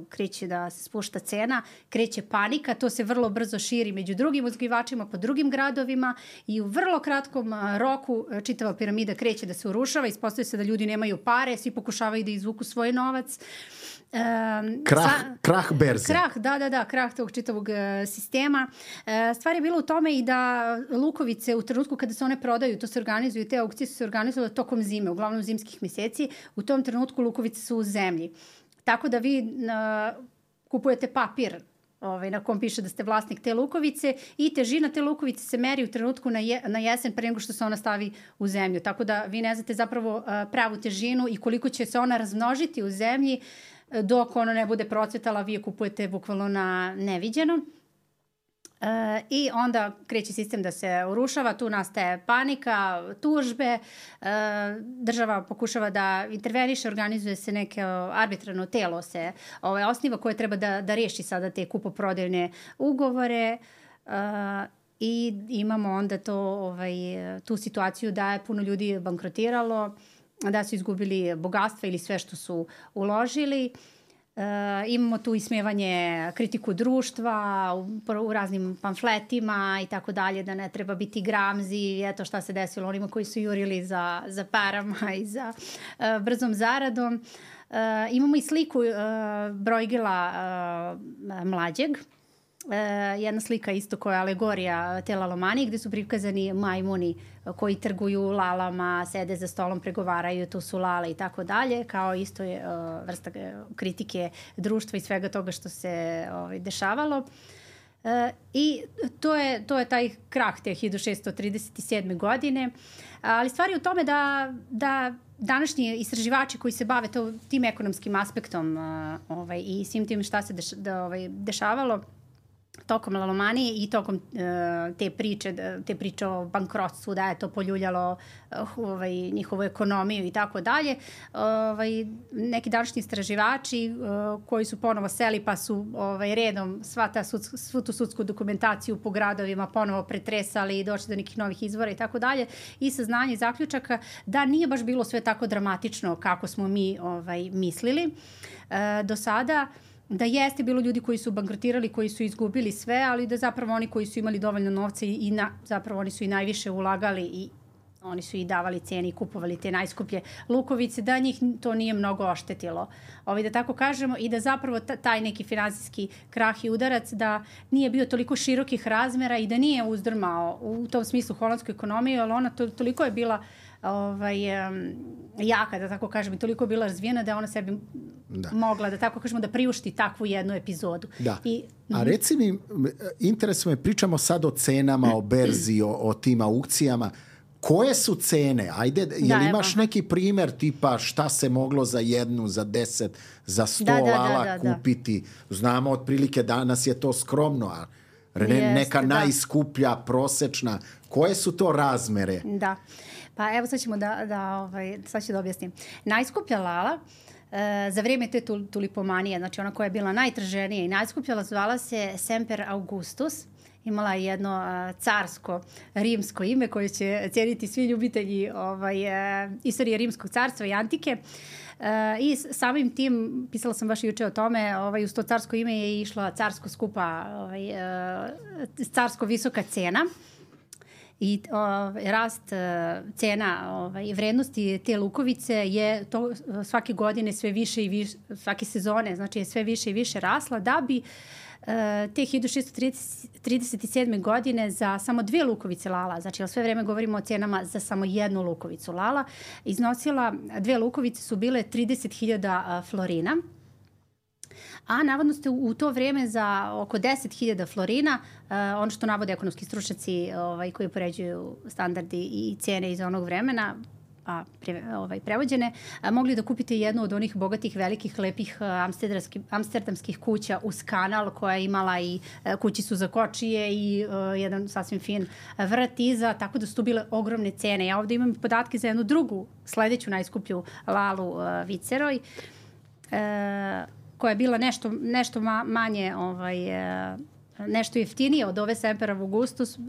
kreće da se spušta cena, kreće panika, to se vrlo brzo širi među drugim uzgajivačima po drugim gradovima i u vrlo kratkom roku čitava piramida kreće da se urušava, ispostavlja se da ljudi nemaju pare, svi pokušavaju da izvuku svoj novac. Krah berze. Krah tog čitavog sistema. Stvar je bila u tome i da lukovice u trenutku kada se one prodaju, to se organizuju, te aukcije su se organizovale tokom zime, uglavnom zimskih meseci, u tom trenutku lukovice su u zemlji. Tako da vi kupujete papir na kom piše da ste vlasnik te lukovice i težina te lukovice se meri u trenutku na jesen pre nego što se ona stavi u zemlju. Tako da vi ne znate zapravo pravu težinu i koliko će se ona razmnožiti u zemlji dok ona ne bude procvetala, vi je kupujete bukvalno na neviđeno. I onda kreće sistem da se urušava, tu nastaje panika, tužbe, država pokušava da interveniše, organizuje se neke arbitrarno telo se osniva koje treba da reši sada te kupoprodajne ugovore i imamo onda tu situaciju da je puno ljudi bankrotiralo, da su izgubili bogatstva ili sve što su uložili. Imamo tu ismevanje, kritiku društva u raznim pamfletima i tako dalje, da ne treba biti gramzi, eto šta se desilo onima koji su jurili za parama i za brzom zaradom. Imamo i sliku Bruegela mlađeg, jedna slika isto koja je alegorija te lalomanije gde su prikazani majmuni koji trguju lalama, sede za stolom, pregovaraju, tu su lale i tako dalje, kao isto je vrsta kritike društva i svega toga što se dešavalo. I to je taj krah te 1637. godine, ali stvar je u tome da današnji istraživači koji se bave tim ekonomskim aspektom i svim tim šta se dešavalo tokom lalomanije i tokom te priče o bankrotstvu, da je to poljuljalo njihovu ekonomiju i tako dalje. Neki današnji istraživači koji su ponovo seli pa su redom svu tu sudsku dokumentaciju po gradovima ponovo pretresali i došli do nekih novih izvora i tako dalje i saznanje zaključaka da nije baš bilo sve tako dramatično kako smo mi mislili do sada. Da jeste bilo ljudi koji su bankrotirali, koji su izgubili sve, ali da zapravo oni koji su imali dovoljno novca zapravo oni su i najviše ulagali i oni su i davali cijene i kupovali te najskuplje lukovice, da njih to nije mnogo oštetilo. Da tako kažemo i da zapravo taj neki finansijski krah i udarac da nije bio toliko širokih razmera i da nije uzdrmao u tom smislu holandsku ekonomiju, ali ona toliko je bila jaka, da tako kažem, i toliko je bila razvijena da ona sebi mogla, da tako kažemo, da priušti takvu jednu epizodu. Da. A reci mi, interesuje me, pričamo sad o cenama, o berzi, o tim aukcijama. Koje su cene? Ajde, jel imaš neki primjer tipa šta se moglo za 1, za 10, za 100 lala kupiti? Znamo otprilike danas je to skromno, a neka najskuplja, prosečna. Koje su to razmere? Da. Pa evo sad ćemo sad ću da objasnim. Najskuplja lala za vrijeme te tulipomanije, znači ona koja je bila najtraženija i najskuplja, zvala se Semper Augustus. Imala je jedno carsko, rimsko ime koje će cijeniti svi ljubitelji istorije rimskog carstva i antike. I samim tim, pisala sam baš juče o tome, uz to carsko ime je išla carsko skupa, carsko visoka cena. I rast cena vrednosti te lukovice je to svake godine sve više i više, svake sezone, znači je sve više i više rasla, da bi te 1637. godine za samo 2 lukovice lala, znači sve vreme govorimo o cenama za samo 1 lukovicu lala, iznosila, 2 lukovice su bile 30.000 florina, a navodno ste u to vrijeme za oko 10.000 florina, ono što navode ekonomski stručnjaci koji upoređuju standardi i cijene iz onog vremena, prevođene, mogli da kupite jednu od onih bogatih, velikih, lepih amsterdamskih kuća uz kanal, koja je imala i kućicu za kočije i jedan sasvim fin vrt iza, tako da su tu bile ogromne cene. Ja ovdje imam podatke za jednu drugu, sledeću najskuplju lalu Viceroj, koja je bila nešto manje nešto jeftinije od ove Semper Augustus,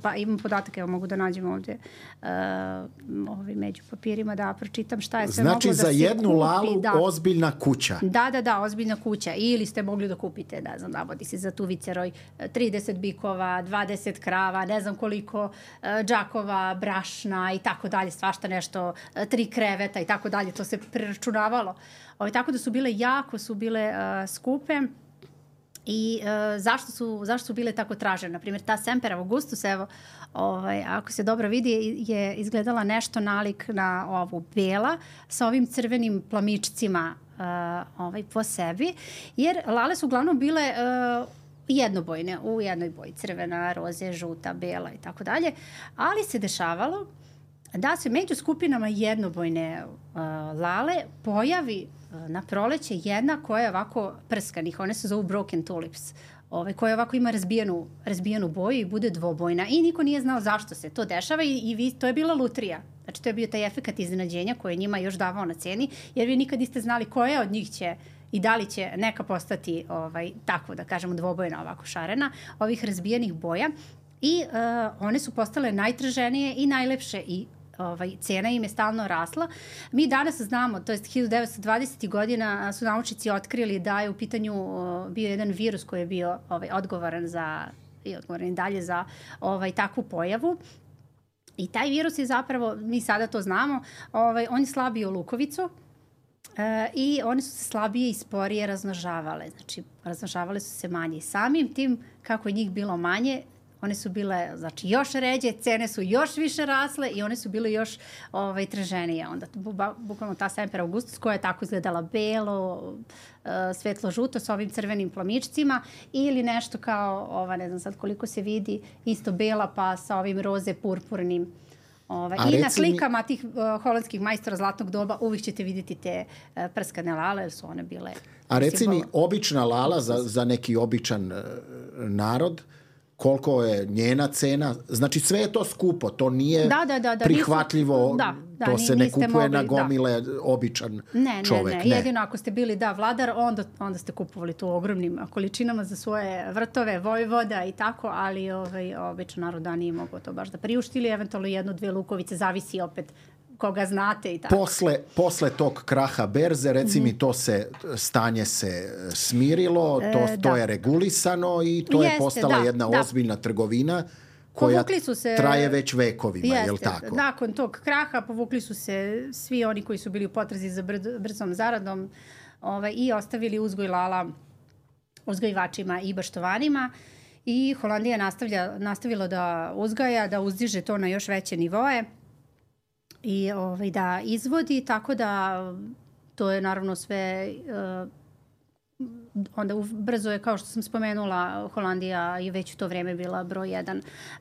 pa imam podatak, evo mogu da nađem ovdje među papirima da pročitam šta je sve moglo da se kupi. Znači za jednu lalu ozbiljna kuća. Da, ozbiljna kuća. Ili ste mogli da kupite, ne znam, navodi se za tu Viceroj 30 bikova, 20 krava, ne znam koliko džakova, brašna i tako dalje, svašta nešto, 3 kreveta i tako dalje, to se preračunavalo. Tako da su bile skupe. I zašto su bile tako tražene? Naprimjer, ta Semper Augustus, evo, ako se dobro vidi, je izgledala nešto nalik na ovu bela sa ovim crvenim plamičcima po sebi, jer lale su uglavnom bile jednobojne, u jednoj boji, crvena, roze, žuta, bela i tako dalje, ali se dešavalo da se među skupinama jednobojne lale pojavi na proleće jedna koja je ovako prskanih, one se zovu broken tulips, koja ovako ima razbijenu boju i bude dvobojna i niko nije znao zašto se to dešava i to je bila lutrija. Znači to je bio taj efekat iznenađenja koji je njima još davao na ceni, jer vi nikad niste znali koja od njih će i da li će neka postati tako da kažemo dvobojna, ovako šarena, ovih razbijenih boja i one su postale najtraženije i najlepše i cena im je stalno rasla. Mi danas znamo, to je 1920. godina su naučnici otkrili da je u pitanju bio jedan virus koji je bio odgovoran i dalje za takvu pojavu. I taj virus je zapravo, mi sada to znamo, on je slabio lukovicu i one su se slabije i sporije razmnožavale. Znači, razmnožavale su se manje. Samim tim, kako je njih bilo manje, one su bile, znači, još ređe, cene su još više rasle i one su bile još traženije. Onda, bukvalno ta Semper Augustus koja je tako izgledala belo, svetlo-žuto sa ovim crvenim plamičcima ili nešto kao, ne znam sad koliko se vidi, isto bela pa sa ovim roze purpurnim. I na slikama tih holandskih majstora zlatnog doba uvijek ćete vidjeti te prskane lale, jer su one bile... A reci mi, obična lala za neki običan narod, koliko je njena cena? Znači sve je to skupo, to nije prihvatljivo, to se ne kupuje na gomile običan čovjek. Ne, jedino ako ste bili vladar, onda ste kupovali to u ogromnim količinama za svoje vrtove, vojvoda i tako, ali običan narod nije mogao to baš da priušti ili eventualno 1-2 lukovice, zavisi opet koga znate i tako. Posle tog kraha berze, reci mi, to stanje se smirilo, to je regulisano i to je postala jedna ozbiljna trgovina koja traje već vekovima, je li tako? Nakon tog kraha povukli su se svi oni koji su bili u potrazi za brzom zaradom i ostavili uzgoj lala uzgojivačima i baštovanima i Holandija nastavila da uzgaja, da uzdiže to na još veće nivoe i da izvodi, tako da to je naravno sve onda brzo je, kao što sam spomenula, Holandija je već u to vrijeme bila broj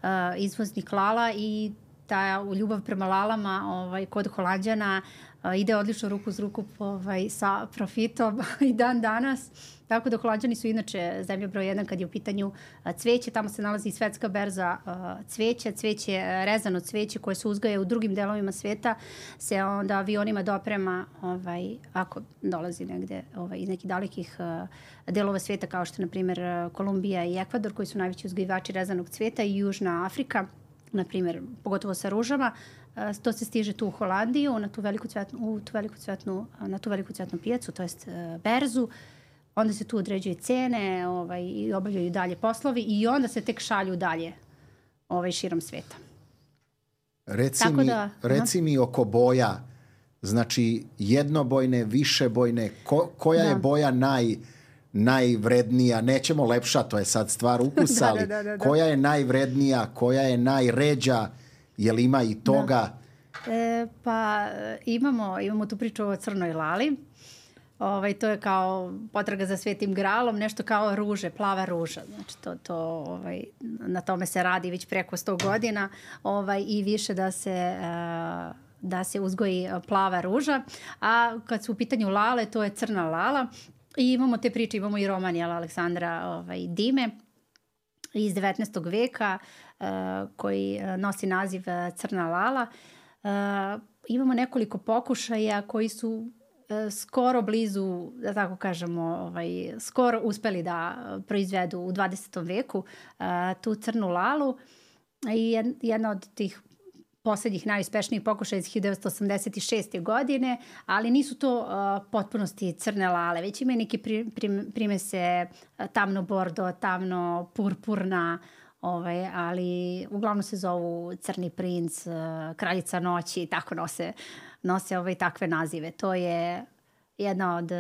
1 izvoznik lala i ta ljubav prema lalama kod Holanđana ide odlično ruku uz ruku sa profitom i dan danas. Tako da Holanđani su inače zemlja broj 1 kad je u pitanju cveće. Tamo se nalazi i svetska berza cveća. Cveće, rezano cveće koje se uzgaja u drugim delovima sveta se onda avionima doprema ako dolazi negde iz nekih dalekih delova sveta kao što je na primjer Kolumbija i Ekvador koji su najveći uzgajivači rezanog cveta i Južna Afrika, na primjer, pogotovo sa ružama. To se stiže tu u Holandiju, na tu veliku cvetnu pijacu, to jest berzu. Onda se tu određuju cene i obavljaju dalje poslovi i onda se tek šalju dalje širom sveta. Reci mi oko boja, znači jednobojne, višebojne, koja je boja najvrednija, nećemo lepša, to je sad stvar ukusa, ali koja je najvrednija, koja je najređa, je li ima i toga? Pa imamo tu priču o crnoj lali. To je kao potraga za svetim gralom, nešto kao ruže, plava ruža. Znači na tome se radi već preko 100 godina i više da se uzgoji plava ruža. A kad su u pitanju lale, to je crna lala. I imamo te priče, imamo i roman Aleksandra Dime iz 19. veka koji nosi naziv Crna lala. Imamo nekoliko pokušaja koji su skoro blizu, da tako kažemo, skoro uspeli da proizvedu u 20. veku tu crnu lalu. I jedna od tih poslednjih najuspešnijih pokušaja iz 1986. godine, ali nisu to potpunosti crne lale, već imaju neke primese tamno bordo, tamno purpurna, ali uglavnom se zovu Crni princ, Kraljica noći i tako nose takve nazive. To je jedna od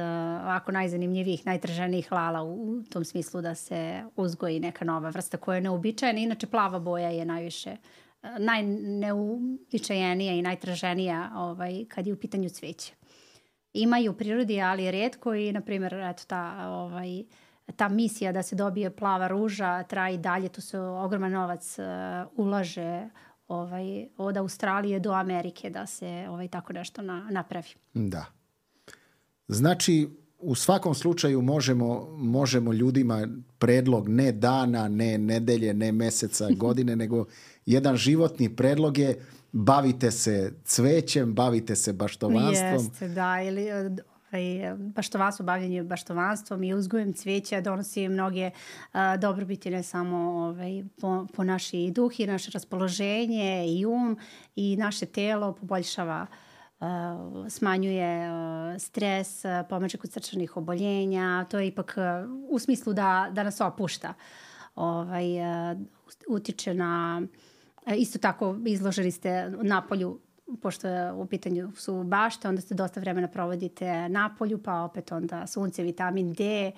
ovako najzanimljivijih, najtraženijih lala u tom smislu da se uzgoji neka nova vrsta koja je neobičajena. Inače plava boja je najneuobičajenija i najtraženija kad je u pitanju cveće. Ima i u prirodi, ali retko i, na primjer, ta misija da se dobije plava ruža traje i dalje. Tu se ogroman novac ulaže od Australije do Amerike da se tako nešto napravi. Da. Znači, u svakom slučaju možemo ljudima predlog ne dana, ne nedelje, ne meseca, godine, nego jedan životni predlog je bavite se cvećem, bavite se baštovanstvom. Jeste, da, ili baštovanstvo, bavljanje baštovanstvom i uzgojem cveća donosi mnoge dobrobiti, ne samo po naši duh i naše raspoloženje i i naše telo, poboljšava, smanjuje stres, pomaže kod srčanih oboljenja. To je ipak u smislu da nas opušta. Utiče na... Isto tako izloženi ste napolju, pošto je u pitanju su bašte, onda ste dosta vremena provodite napolju, pa opet onda sunce, vitamin D,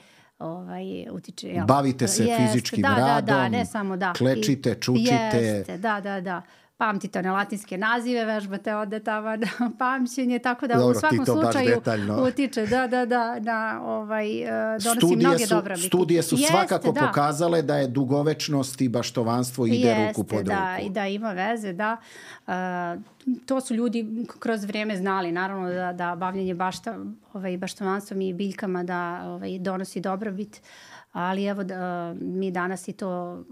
utiče... Bavite se fizičkim radom, ne samo klečite, čučite. Jeste, da. Pamtite one latinske nazive, vežbate onda tamo na pamćenje, tako da dobro, u svakom slučaju utiče, donosi mnoge dobrobiti. Studije su svakako pokazale da je dugovečnost i baštovanstvo ide ruku pod ruku. I da ima veze, da. To su ljudi kroz vrijeme znali, naravno da bavljanje baštovanstvom i biljkama da donosi dobrobit, ali evo mi danas i to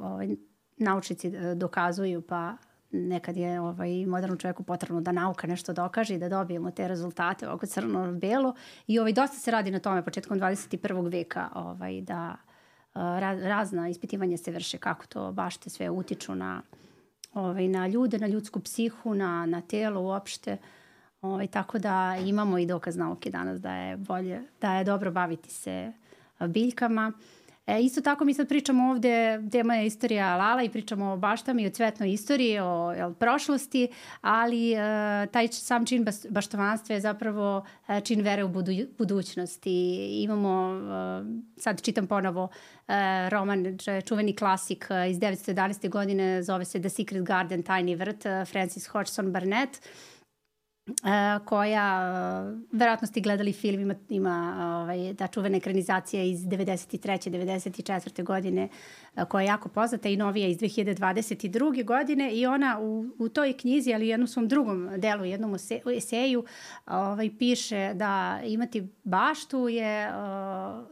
naučnici dokazuju, pa nekad je modernom čovjeku potrebno da nauka nešto dokaže i da dobijemo te rezultate ovako crno-belo. I dosta se radi na tome početkom 21. veka da razna ispitivanja se vrše kako to bašte sve utiču na ljude, na ljudsku psihu, na telo uopšte. Tako da imamo i dokaz nauke danas da je dobro baviti se biljkama. Isto tako mi sad pričamo ovdje, tema je istorija lala i pričamo o baštama i o cvetnoj istoriji, o prošlosti, ali taj sam čin baštovanstva je zapravo čin vere u budućnosti. Imamo, sad čitam ponovo roman, čuveni klasik iz 1911. godine, zove se The Secret Garden, Tajni vrt, Francis Hodgson Burnett. koja, verovatno ste gledali film, ima ta čuvena ekranizacija iz 93. 94. godine koja je jako poznata i novija iz 2022. godine i ona u toj knjizi, ali u jednom svom drugom delu, jednom eseju piše da imati baštu je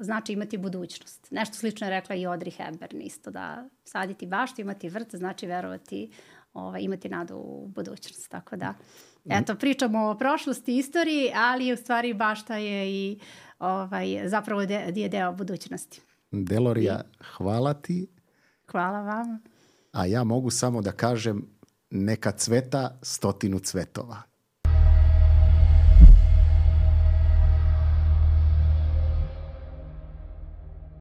znači imati budućnost. Nešto slično je rekla i Audrey Hepburn isto, da saditi baštu, imati vrt znači verovati, imati nadu u budućnost. Tako da eto, pričamo o prošlosti, istoriji, ali u stvari bašta je i zapravo je deo budućnosti. Delorija, hvala ti. Hvala vam. A ja mogu samo da kažem neka cveta 100 cvetova.